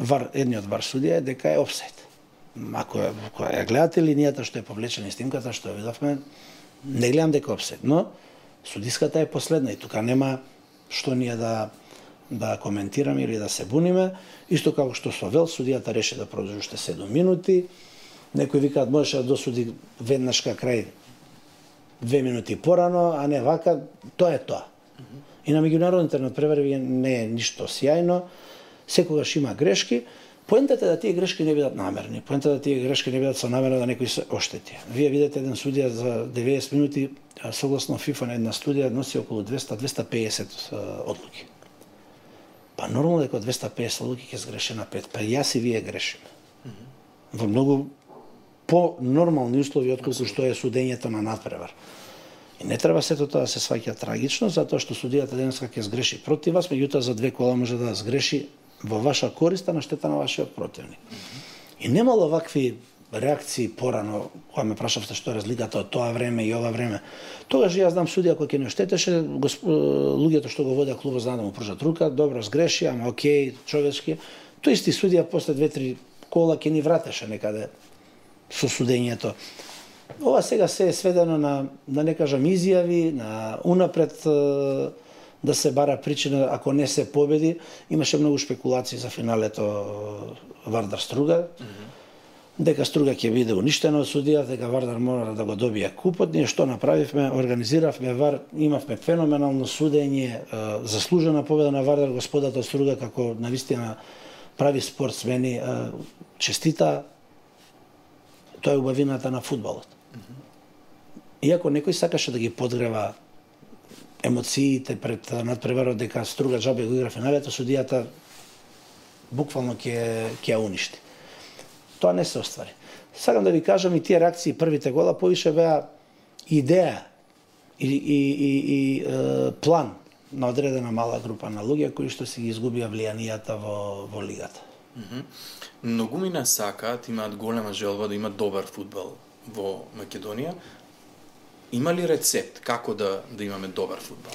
ВАР, едниот ВАР судија е дека е опсайд. Ако ја гледате линијата што е повлечена и снимката што ја видовме, не гледам дека е опсайд, но судиската е последна и тука нема што ние да коментираме или да се буниме. Исто како што со Вел судијата реши да продолжи уште 7 минути. Некои викаат можеше да досуди веднаш крај 2 минути порано, а не вака, тоа е тоа. И на меѓународните надпревари не е ништо сјајно, секогаш има грешки. Поентата е да тие грешки не бидат намерни, поентата е да тие грешки не бидат со намера да некој се оштети. Вие видите еден судија за 90 минути, согласно ФИФА на една студија носи околу 200-250 одлуки. Па нормално дека 250 одлуки ќе сгреше на 5, па јас и вие грешиме. Во многу по-нормални услови отколку што е судењето на надпревар. И не треба сето тоа да се сваќа трагично, затоа што судијата денеска ќе сгреши против вас, меѓутоа за 2 кола може да сгреши во ваша корист, на штета на вашиот противник. И немало вакви реакции порано, кога ме прашавте што е разликата од тоа време и ова време. Тогаш јас знам судија кој ќе не оштетеше, луѓето што го водеа клубот знаат да му пружат рука, добро сгреши, ама окей, човечки. Тој исти судија после 2-3 кола ќе ни вратеше некаде со судењето. Ова сега се е сведено на, да не кажам, изјави, на унапред да се бара причина ако не се победи. Имаше многу спекулации за финалето Вардар Струга. Дека Струга ќе биде уништена од судија, дека Вардар мора да го добие купот. Ние што направивме? Организиравме ВАР, имавме феноменално судење, заслужена победа на Вардар, господата Струга како навистина прави спортсмени, честита. Тоа е убавината на фудбалот. Иако некој сакаше да ги подгрева емоциите пред надпреварот дека Струга џабе го игра финалето, судијата буквално ќе ја уништи. Тоа не се оствари. Сакам да ви кажам, и тие реакции првите гола повише беа идеја и план на одредена мала група на луѓе кои што си ги изгубија влијанијата во лигата. Многумина сакаат, имаат голема желба да имат добар фудбал во Македонија. Има ли рецепт како да имаме добар фудбал?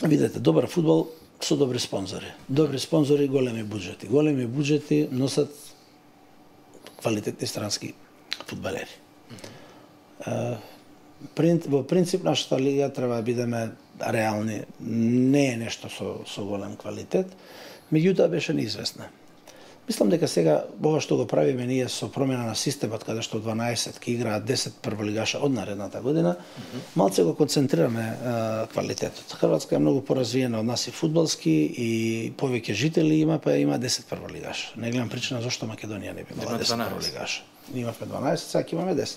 Видете, добар фудбал со добри спонзори. Добри спонзори, големи буџети. Големи буџети носат квалитетни странски фудбалери. Во принцип, нашата лига треба да бидеме реални. Не е нешто со голем квалитет, меѓутоа беше неизвестна. Мислам дека сега ова што го правиме ние со промена на системот, каде што 12 ки играат 10 прволигаша од наредната година, малце го концентрираме квалитетот. Хрватска е многу поразвиена од нас и фудбалски и повеќе жители има, па има 10 прволигаша. Не гледам причина зошто Македонија не би имала 10 прволигаша. Имавме 12, сега имаме 10.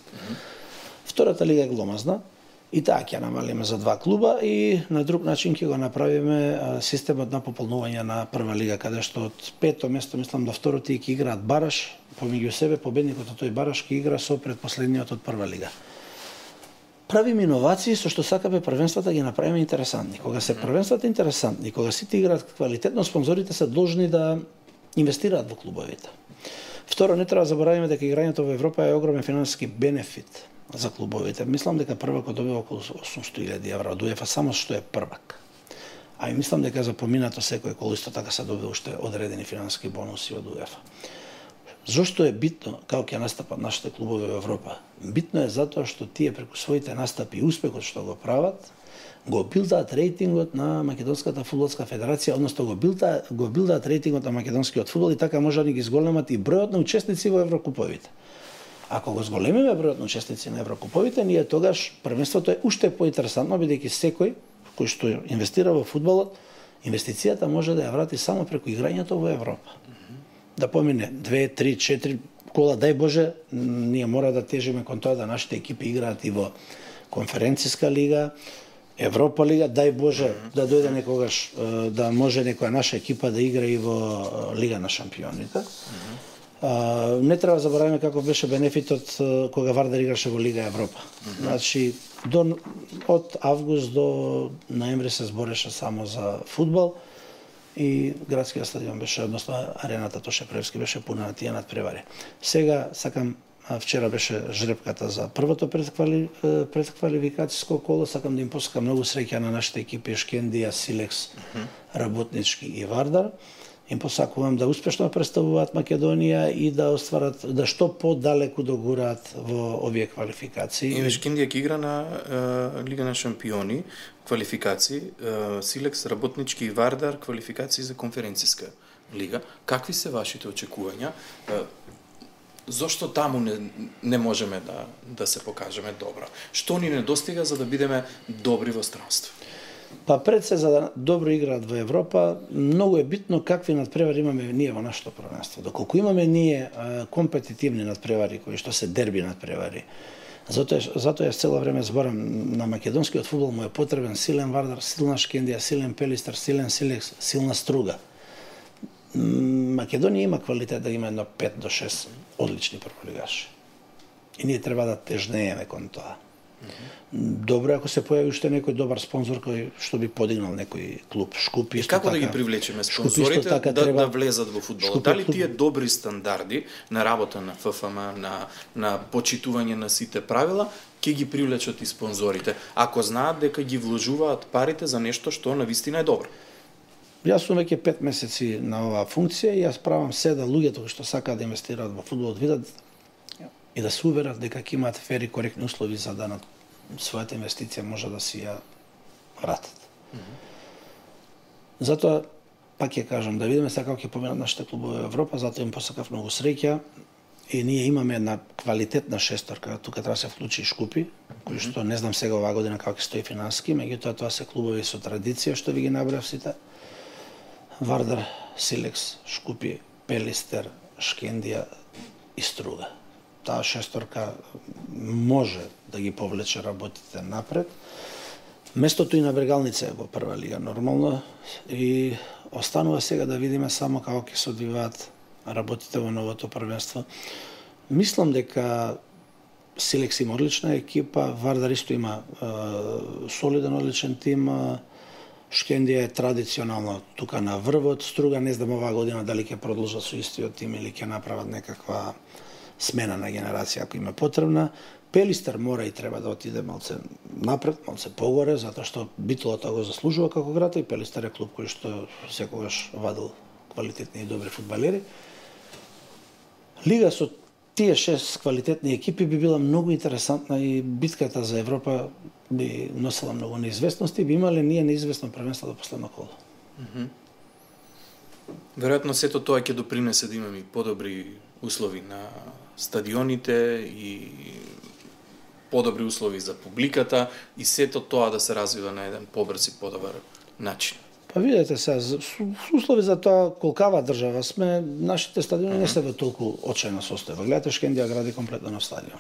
Втората лига е гломазна. И таа ќе намалиме за 2 клуба и на друг начин ќе го направиме системот на пополнување на прва лига, каде што од 5-то место, мислам, до 2-то ќе играат бараш, помеѓу себе победникот од тој бараш ќе игра со предпоследниот од прва лига. Правиме иновации со што сакаме првенствата ги направиме интересантни. Кога се првенствата интересантни, кога сите играат квалитетно, спонзорите се должни да инвестираат во клубовите. Второ, не треба да заборавиме дека играњето во Европа е огромен финансиски бенефит за клубовите. Мислам дека првакот добива околу 800.000 евра од УЕФА, само што е првак. А и мислам дека за поминато секој кол исто така се добива уште одредени финансиски бонуси од УЕФА. Зошто е битно како ќе настапат нашите клубови во Европа? Битно е затоа што тие преку своите настапи и успехот што го прават, го билдаат рейтингот на Македонската фудбалска федерација, односно го билдаат рейтингот на македонскиот фудбал и така може да ги зголемат и бројот на учесници во еврокуповите. Ако го зголемиме бројот на учесници на еврокуповите, ние тогаш првенството е уште поинтересантно, бидејќи секој кој што инвестира во фудбалот, инвестицијата може да ја врати само преку играњето во Европа. Да помине 2, 3, 4 кола, дај Боже, ние мора да тежиме кон тоа да нашите екипи играат и во конференциска лига, Европа лига, дај Боже да дојде некогаш да може некоја наша екипа да игра и во Лига на шампионите. Не треба да забораваме како беше бенефитот кога Вардар играше во Лига Европа. Значи, од август до ноември се збореше само за фудбал и градскиот стадион беше, односно арената Тоше Превски беше пуна на тие надпревари. Сега вчера беше жребката за првото предквалификацијско коло, сакам да им посакам многу среќа на нашите екипи Шкендија, Силекс, Работнички и Вардар. Им посакувам да успешно представуваат Македонија и да остварат, да што подалеку догураат во овие квалификации. И Шкендија ќе игра на Лига на шампиони, квалификации, Силекс, Работнички и Вардар, квалификации за конференциска лига. Какви се вашите очекувања? Зошто таму не можеме да се покажеме добро? Што ни недостига за да бидеме добри во странство? Па пред се за да добро играат во Европа, многу е битно какви надпревари имаме ние во нашето првенство. Доколку имаме ние компетитивни надпревари кои што се дерби надпревари, затоа јас цело време зборам на македонскиот фудбал му е потребен силен Вардар, силна Шкендија, силен Пелистер, силен Силекс, силна Струга. Македонија има квалитет да има едно 5 до 6 одлични прволигаши. И ние треба да тежнееме кон тоа. Добро ако се појави уште некој добар спонзор кој што би подигнал некој клуб. Шкупи исто како така, да ги привлечеме спонзорите да влезат во фудбалот? Дали тие добри стандарди на работа на ФФМ, на почитување на сите правила ќе ги привлечат и спонзорите, ако знаат дека ги вложуваат парите за нешто што навистина е добро? Јас сум веќе 5 месеци на оваа функција и јас правам се да луѓето кои што сакаат да инвестираат во фудбалот видат и да се уверат дека ќе имаат фер и коректни услови за да на својата инвестиција може да си ја вратат. Затоа, пак ќе кажам, да видиме сега како ќе поминат нашите клубови во Европа, затоа им посакав многу среќа и ние имаме една квалитетна шесторка, тука треба да се вклучи и Шкупи, кои што не знам сега оваа година како ќе стои финансиски, меѓутоа тоа се клубови со традиција што ви ги набрав сите. Вардар, Силекс, Шкупи, Пелистер, Шкендија и Струга. таа шесторка може да ги повлече работите напред. Местото и на Брегалница е во прва лига нормално и останува сега да видиме само како ќе се одвиваат работите во новото првенство. Мислам дека Силекс има одлична екипа, Вардар исто има солиден, одличен тим, Шкендија е традиционално тука на врвот, Струга не знам оваа година дали ќе продолжат со истиот тим или ќе направат некаква смена на генерација ако има потребна. Пелистер мора и треба да отиде малце напред, малце погоре, затоа што Битолата го заслужува како град и Пелистер е клуб кој што секогаш вадил квалитетни и добри фудбалери. Лига со тие 6 квалитетни екипи би била многу интересантна и битката за Европа би носела многу неизвестности, би имале ние неизвестно првенство до последно коло. Веројатно сето тоа ќе допринесе да имаме подобри услови на стадионите и подобри услови за публиката и сето тоа да се развива на еден побрз и подобар начин. Па видете сега, услови за тоа колкава држава сме, нашите стадиони не се во толку очајна состојба. Гледате, Шкендија гради комплетно нов стадион.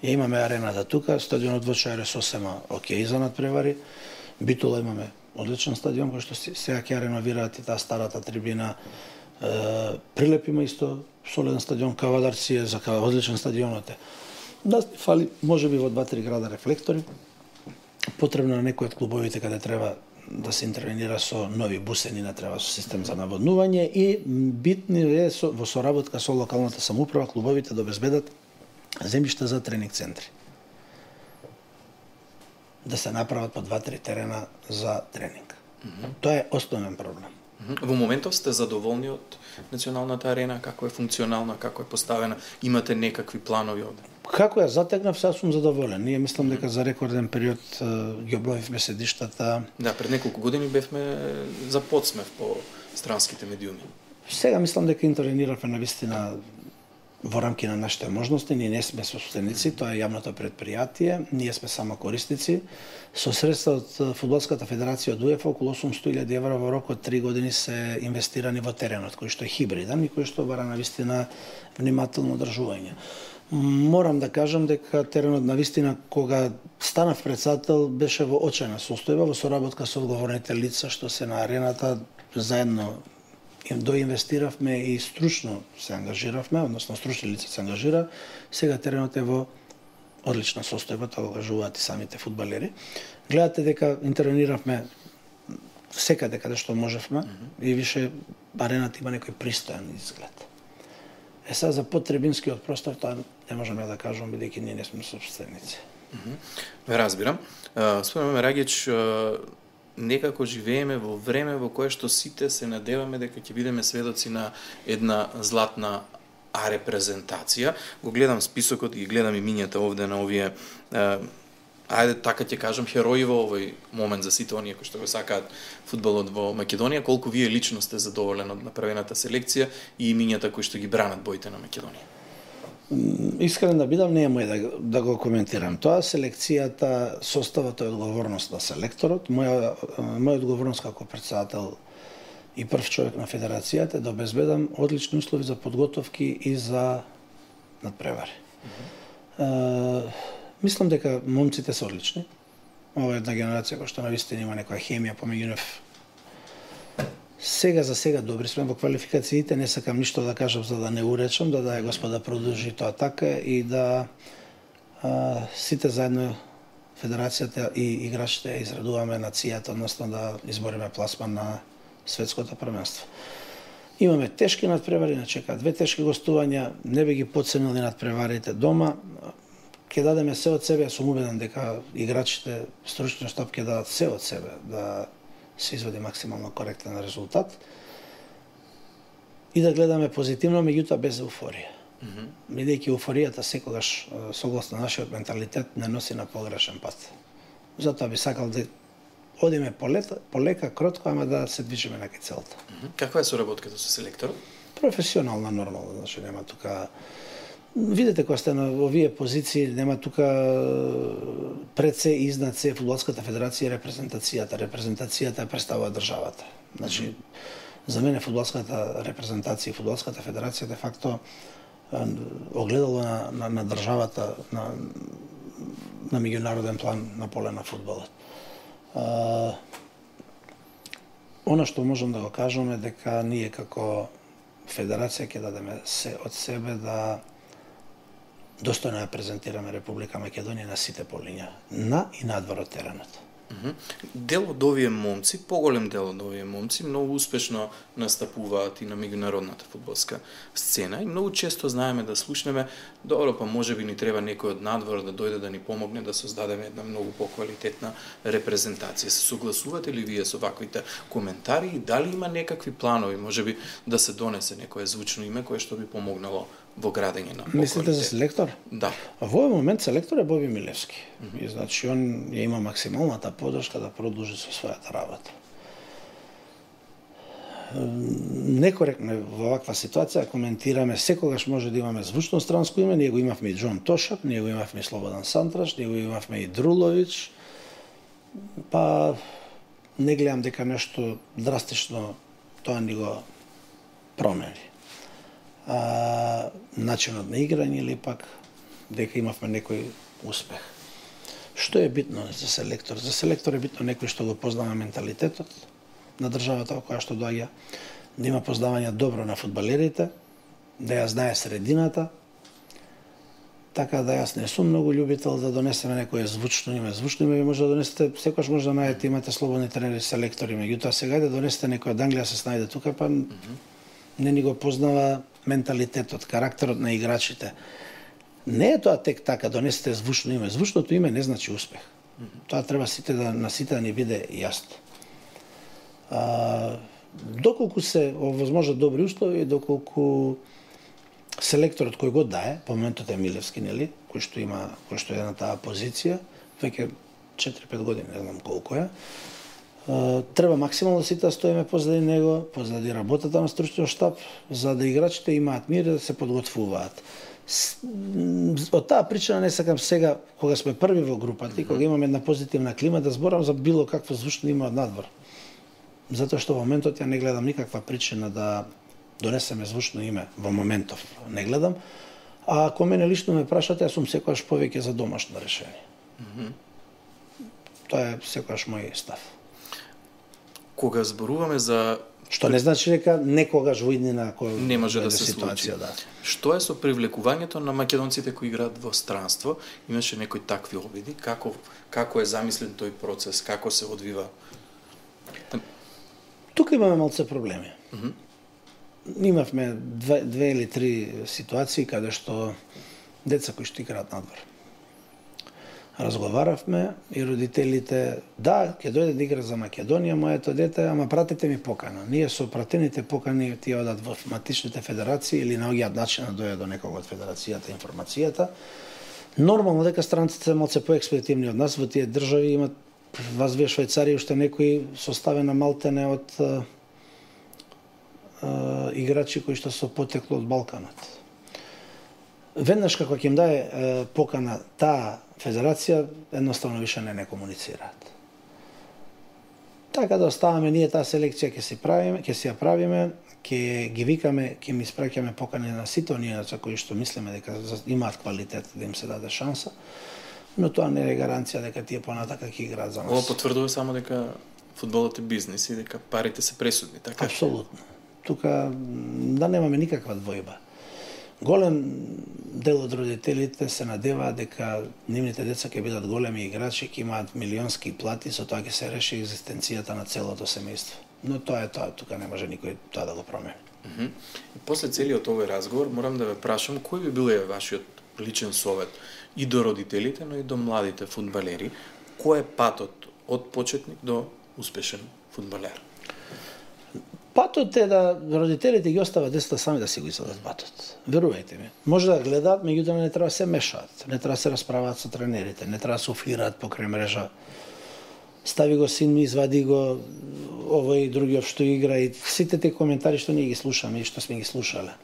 Ја имаме арената тука, стадионот во Чајре сосема окей за надпревари. Битола имаме одличен стадион кој што сега ќе реновираат и таа старата трибина. Прилеп има исто солиден стадион, Кавадарци е за одличен стадионот е. Да фали можеби во 2-3 града рефлектори. Потребно на некој од клубовите каде треба да се интервенира со нови бусени, не треба со систем за наводнување и битни е во соработка со локалната самоуправа клубовите да обезбедат земјишта за тренинг центри. Да се направат по 2-3 терена за тренинг. Тоа е основен проблем. Во моментов сте задоволни од националната арена, како е функционална, како е поставена, имате некакви планови овде? Како ја затегнав, сега сум задоволен. Ние мислам дека за рекорден период ги обновивме седиштата. Да, пред неколку години бевме за подсмев по странските медиуми. Сега мислам дека интервениравме навистина во рамки на нашите можности. Ние не сме собственици, тоа е јавното предпријатие, ние сме само корисници. Со средства од Фудбалската федерација од УЕФА околу 800.000 евра во рок од 3 години се инвестирани во теренот, кој што е хибриден и кој што бара навистина внимателно одржување. Морам да кажам дека теренот навистина кога станав председател беше во очајна состојба, во соработка со одговорните лица што се на арената заедно им доинвестиравме и стручно се ангажиравме, односно стручни лица се ангажира. Сега теренот е во одлична состојба, тоа го кажуваат и самите фудбалери. Гледате дека интервениравме секаде каде што можевме и више арената има некој пристојан изглед. Сега за потребинскиот простор тоа не можеме да кажам бидејќи ние не сме собственици. Ве разбирам. Спомнаме Рагич, некако живееме во време во кое што сите се надеваме дека ќе бидеме сведоци на една златна репрезентација. Го гледам списокот и гледам имињата овде на овие ајде така ќе кажам херои во овој момент за сите оние кои што го сакаат фудбалот во Македонија. Колку вие лично сте задоволен од направената селекција и имињата кои што ги бранат боите на Македонија? Искрен да бидам, не е мој да го коментирам тоа. Селекцијата, составот е одговорност на селекторот. Моја одговорност како председател и прв човек на федерацијата е да обезбедам одлични услови за подготовки и за надпревари. Мислам дека момците се одлични. Ова е една генерација која што навистина има некоја хемија помеѓу нив. Сега за сега добри сме во квалификациите, не сакам ништо да кажам за да не уречам, да Господа продолжи тоа така и да сите заедно федерацијата и играчите израдуваме нацијата, односно да избориме пласман на светското првенство. Имаме тешки надпревари, не чекаат 2 тешки гостувања, не би ги потценили надпреварите дома. Ќе дадеме се од себе, сум убеден дека играчите, стручниот штаб ќе дадат се од себе да се изведе максимално коректен резултат и да гледаме позитивно, меѓутоа без еуфорија. Бидејќи еуфоријата секогаш, согласно нашиот менталитет, не носи на погрешен пат. Затоа би сакал да одиме полека, кротко, ама да се движиме на целта. Каква е соработката со селекторот? Професионална, нормална, значи нема тука. Видете кога сте на овие позиции, нема тука пред се и изнад се Фудбалската федерација и репрезентацијата. Репрезентацијата ја представува државата. Значи, за мене фудбалската репрезентација и Фудбалската федерација де факто огледало на државата на меѓународен план на поле на фудбалот. Она што можам да го кажам е дека ние како федерација ќе дадеме се од себе да достојно ја презентираме Република Македонија на сите полиња, на и надвор од теренот. Дел од овие момци, поголем дел од овие момци, многу успешно настапуваат и на меѓународната фудбалска сцена и многу често знаеме да слушнеме, добро, па можеби ни треба некој од надвор да дојде да ни помогне да создадеме една многу поквалитетна репрезентација. Се согласувате ли вие со ваквите коментари и дали има некакви планови, можеби да се донесе некое звучно име кое што би помогнало во градење на поквалитет? Мислите за селектор? Да. Во овој момент селектор е Боби Милевски. И значи он ја има максималната поддршка да продолжи со својата работа. Некоректно во ваква ситуација коментираме, секогаш може да имаме звучно странско име, ние го имавме и Џон Тошак, ние го имавме и Слободан Сантраш, ние го имавме и Друлович, па не гледам дека нешто драстично тоа ни го промени. Начинот на играње или пак дека имавме некој успех. Што е битно за селектор? За селектор е битно некој што го познава менталитетот на државата во која што доаѓа, да има познавање добро на фудбалерите, да ја знае средината, така да јас не сум многу љубител да донесеме некое звучно име. Звучно име може да донесете, секогаш може да најдете, имате слободни тренери, селектори, меѓутоа сега да донесете некој од Англија се снајде тука, па не ни го познава менталитетот, карактерот на играчите. Не е тоа тек така, донесете звучно име. Звучното име не значи успех. Тоа треба на сите да ни биде јасно. Доколку се овозможат добри услови, доколку селекторот кој го дае, по моментот е Милевски, нели, кој што е на таа позиција, веќе 4-5 години, не знам колку е, треба максимално сите да стоиме позади него, позади работата на стручниот штаб, за да играчите имаат мир да се подготвуваат. Од таа причина не сакам сега, кога сме први во групата и кога имаме една позитивна клима, да зборам за било какво звучно име од надвор. Затоа што во моментот ја не гледам никаква причина да донесеме звучно име, во моментов не гледам. А ако мене лично ме прашате, јас сум секогаш повеќе за домашно решение. Тоа е секогаш мој став. Кога зборуваме за... Што не значи дека некогаш во иднина кој не може да се случи. Да. Што е со привлекувањето на македонците кои играат во странство? Имаше некои такви обиди? Како е замислен тој процес? Како се одвива? Тука имаме малце проблеми. Имавме две или три ситуации каде што деца кои што играат надвор. Разговаравме и родителите, да, ќе дојде да игра за Македонија, моето дете, ама пратете ми покана. Ние со пратените покани тие одат во матичните федерации или наоѓаат начин да дојде до некого од федерацијата информацијата. Нормално дека странците се малце поекспедитивни од нас, во тие држави имат вас вие Швајцарија уште некои составена малтене од играчи кои што се потекло од Балканот. Веднаш како ќе им даде покана таа федерација, едноставно више не комуницираат. Така да оставаме ние таа селекција ќе си ја правиме, ќе ги викаме, ќе ми испраќаме покани на сите оние за кои што мислиме дека имаат квалитет да им се даде шанса, но тоа не е гаранција дека тие понатака ќе играат за нас. Ова потврдува само дека фудбалот е бизнис и дека парите се пресудни, така? Апсолутно. Тука да немаме никаква двојба. Голем дел од родителите се надеваат дека нивните деца ќе бидат големи играчи, ќе имаат милионски плати, со тоа ќе се реши екзистенцијата на целото семејство. Но тоа е тоа, тука не може никој тоа да го промени. И после целиот овој разговор морам да ве прашам кој би бил вашиот личен совет и до родителите, но и до младите фудбалери, кој е патот од почетник до успешен фудбалер? Патот е да родителите ги остават децата сами да си го извадат патот. Верувајте ми. Може да гледаат, меѓутоа не треба да се мешаат, не треба да се расправаат со тренерите, не треба да се офираат покрај мрежа. Стави го син ми, извади го овој другиот што игра и сите тие коментари што ние ги слушаме и што сме ги слушале.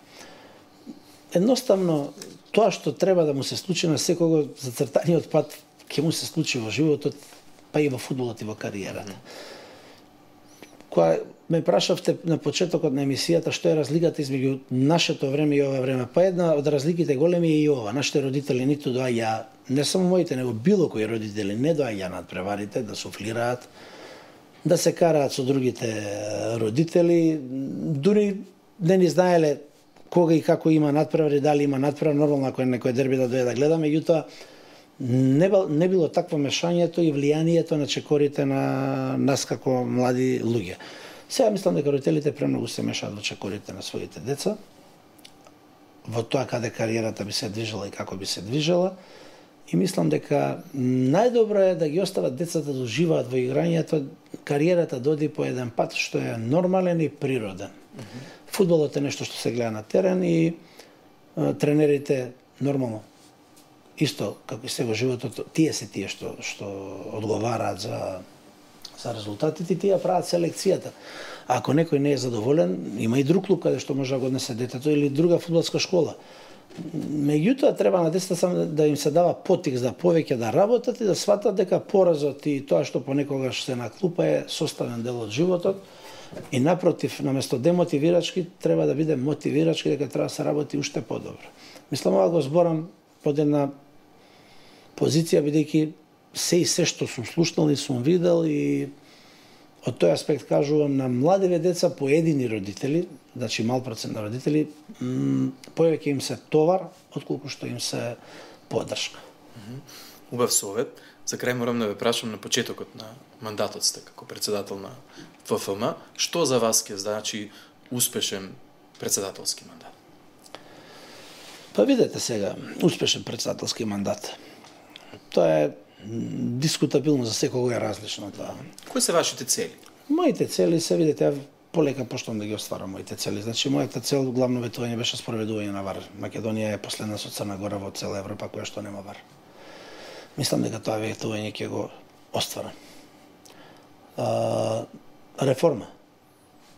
Едноставно, тоа што треба да му се случи на секого, зацртаниот пат ќе му се случи во животот, па и во фудбалот и во кариерата. Кога ме прашавте на почетокот на емисијата што е разликата измеѓу нашето време и ова време, па една од разликите големи е и ова. Нашите родители ниту доаѓа, не само моите, него било кои родители не доаѓа над преварите да суфлираат, да се караат со другите родители, дури не ни знаеле кога и како има надпревари, дали има надпревар, нормално ако е некој дерби да дојде да гледа, меѓутоа не било такво мешањето и влијанието на чекорите на нас како млади луѓе. Сега мислам дека родителите премногу се мешаат во чекорите на своите деца, во тоа каде кариерата би се движела и како би се движела, и мислам дека најдобро е да ги остават децата да уживаат во играњето, кариерата да оди по еден пат што е нормален и природен. Фудбалот е нешто што се гледа на терен и тренерите нормално исто како и сега животот, тие се тие што одговараат за резултатите, тие прават селекцијата. А ако некој не е задоволен, има и друг клуб каде што може да го однесе детето или друга фудбалска школа. Меѓутоа треба на децата само да им се дава поттик за повеќе да работат и да сватат дека поразот и тоа што понекогаш се на клупа е составен дел од животот. И напротив, наместо демотивирачки, треба да биде мотивирачки, дека треба да се работи уште подобро. Мислам, ова го зборам под една позиција, бидејќи се што сум слушнал и сум видел, и од тој аспект кажувам на младиве деца, поедини родители, значи мал процент на родители, повеќе им се товар, отколку што им се поддршка. Убав совет. За крај морам да ве прашам на почетокот на мандатот сте како председател на ФФМ, што за вас ќе значи успешен председателски мандат? Па видете сега, успешен председателски мандат. Тоа е дискутабилно, за секого е различно тоа. Кои се вашите цели? Моите цели се, видите, ја полека почнам да ги остварам моите цели. Значи, мојата цел, главно ветување беше спроведување на ВАР. Македонија е последна со Црна Гора во цела Европа која што нема ВАР. Мислам дека тоа ветување ќе го остварам. Реформа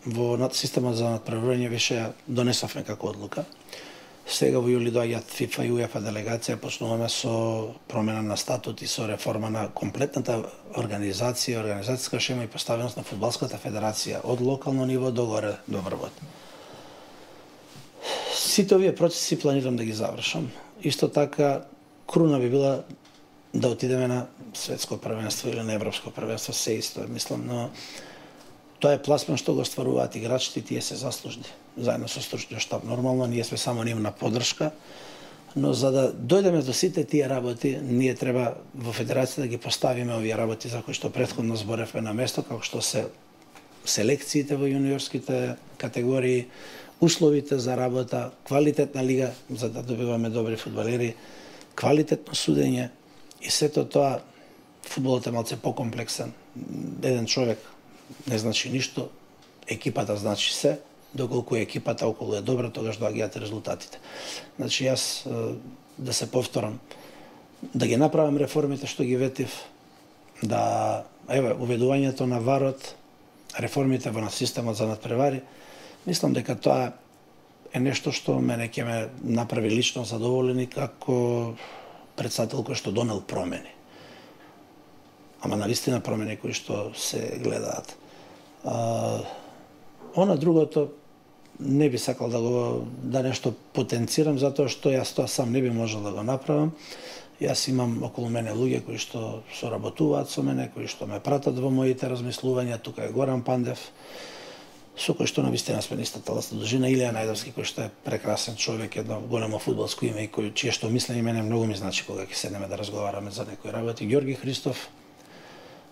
во системот за надпреварување више донесовме како одлука. Сега во јули доаѓаат ФИФА и УЕФА делегација, почнуваме со промена на статут и со реформа на комплетната организација, организацијска шема и поставеност на фудбалската федерација од локално ниво до горе до врвот. Сите овие процеси планирам да ги завршам. Исто така, круна би била да отидеме на светско првенство или на европско првенство, се исто, мислам, но тоа е пласман што го стваруваат играчите и тие се заслужни. Заедно со стручниот штаб. Нормално, ние сме само нивна поддршка, но за да дојдеме до сите тие работи, ние треба во федерацијата да ги поставиме овие работи за кои што претходно зборевме на место, како што се селекциите во јуниорските категории, условите за работа, квалитетна лига за да добиваме добри фудбалери, квалитетно судење и сето тоа. Фудбалот е малце покомплексен. Еден човек не значи ништо, екипата значи се, доколку екипата околу е добра, тогаш доаѓаат резултатите. Значи јас да се повторам, да ги направам реформите што ги ветив, да уведувањето на ВАРот, реформите во системот за надпревари, мислам дека тоа е нешто што мене ќе ме направи лично задоволен и како председател кој што донел промени. Ама навистина промени кои што се гледаат. Она другото не би сакал да нешто потенцирам, затоа што јас тоа сам не би можел да го направам. Јас имам околу мене луѓе кои што соработуваат со мене, кои што ме пратат во моите размислувања. Тука е Горан Пандев, со кој што навистина сме на истата таласна должина, Илија Најдовски, кој што е прекрасен човек, едно големо фудбалско име и кој чие што мислење мене многу ми значи кога ќе седнеме да разговараме за некои работи. Ѓорги Христов,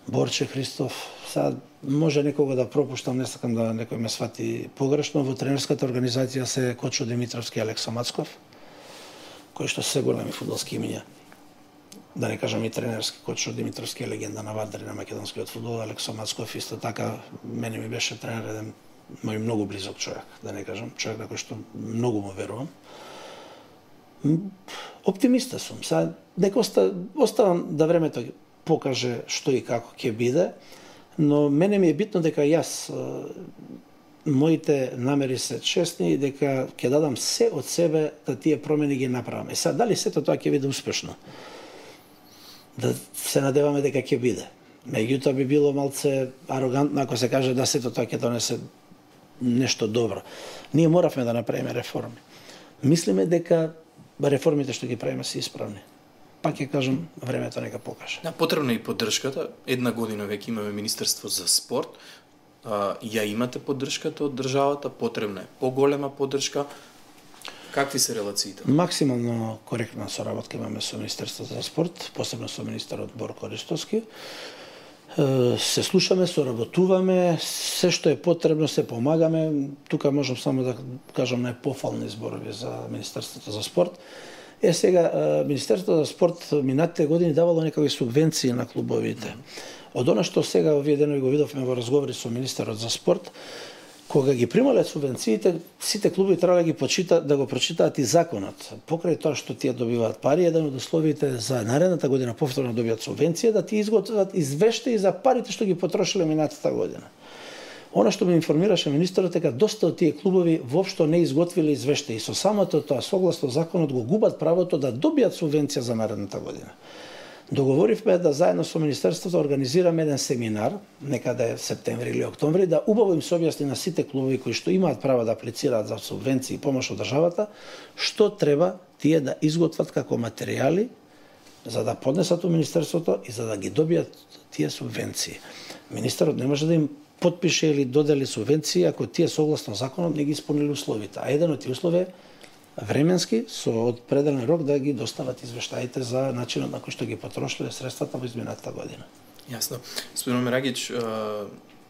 Борче Христов, сега може некого да пропуштам, не сакам да некој ме свати погрешно, во тренерската организација се Кочо Димитровски и Алекса Мацков, кои што се големи фудбалски имиња. Да не кажам и тренерски, Кочо Димитровски е легенда на Вардар и на македонскиот фудбал, Алекса Мацков исто така, мене ми беше тренер еден мој многу близок човек, да не кажам, човек на кој што многу му верувам. Оптимиста сум, сега дека оставам да времето покаже што и како ќе биде, но мене ми е битно дека јас моите намери се честни и дека ќе дадам се од себе да тие промени ги направам. Сега дали сето тоа ќе биде успешно? Да се надеваме дека ќе биде. Меѓутоа би било малце арогантно ако се каже да сето тоа ќе донесе нешто добро. Ние моравме да направиме реформи. Мислиме дека реформите што ги правиме се исправни. Пак ќе кажам, времето нека покаже. Да, потребна е и поддршката. Една година веќе имаме Министерство за спорт. Ја имате поддршката од државата, потребна е поголема поддршка. Какви се релациите? Максимално коректна соработка имаме со Министерството за спорт, посебно со министерот Борко Ристовски. Се слушаме, соработуваме, се што е потребно се помагаме. Тука можам само да кажам најпофални зборови за Министерството за спорт. Сега, Министерството за спорт минатите години давало некакви субвенции на клубовите. Од она што сега овие денови го видовме во разговори со министерот за спорт, кога ги примале субвенциите, сите клубови треба да го прочитаат и законот. Покрај тоа што тие добиваат пари, еден од условите за наредната година повторно добијат субвенција, да ти изготват извештаи за парите што ги потрошиле минатата година. Она што ме информираше министерот дека доста од тие клубови воопшто не изготвиле извештаи. Со самото тоа, согласно законот, го губат правото да добијат субвенција за наредната година. Договоривме да заедно со Министерството организираме еден семинар, некаде септември или октомври, да убаво им се објасни на сите клубови кои што имаат право да аплицираат за субвенции и помош од државата, што треба тие да изготват како материјали за да поднесат у Министерството и за да ги добијат тие субвенции. Министерот не може да им подпише или додели субвенции ако тие согласно законот не ги исполнили условите. А еден од тие услови е временски со определен рок да ги достават извештаите за начинот на кој што ги потрошиле средствата во изминатата година. Јасно. Господин Мерагич,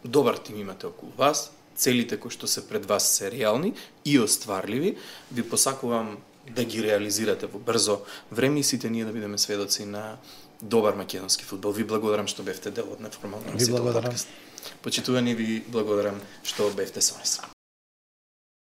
добар тим имате околу вас, целите кои што се пред вас се реални и остварливи. Ви посакувам да ги реализирате во брзо време и сите ние да бидеме сведоци на добар македонски фудбал. Ви благодарам што бевте дел од неформално подкаст. Почитувани, ви благодарам што бевте со нас.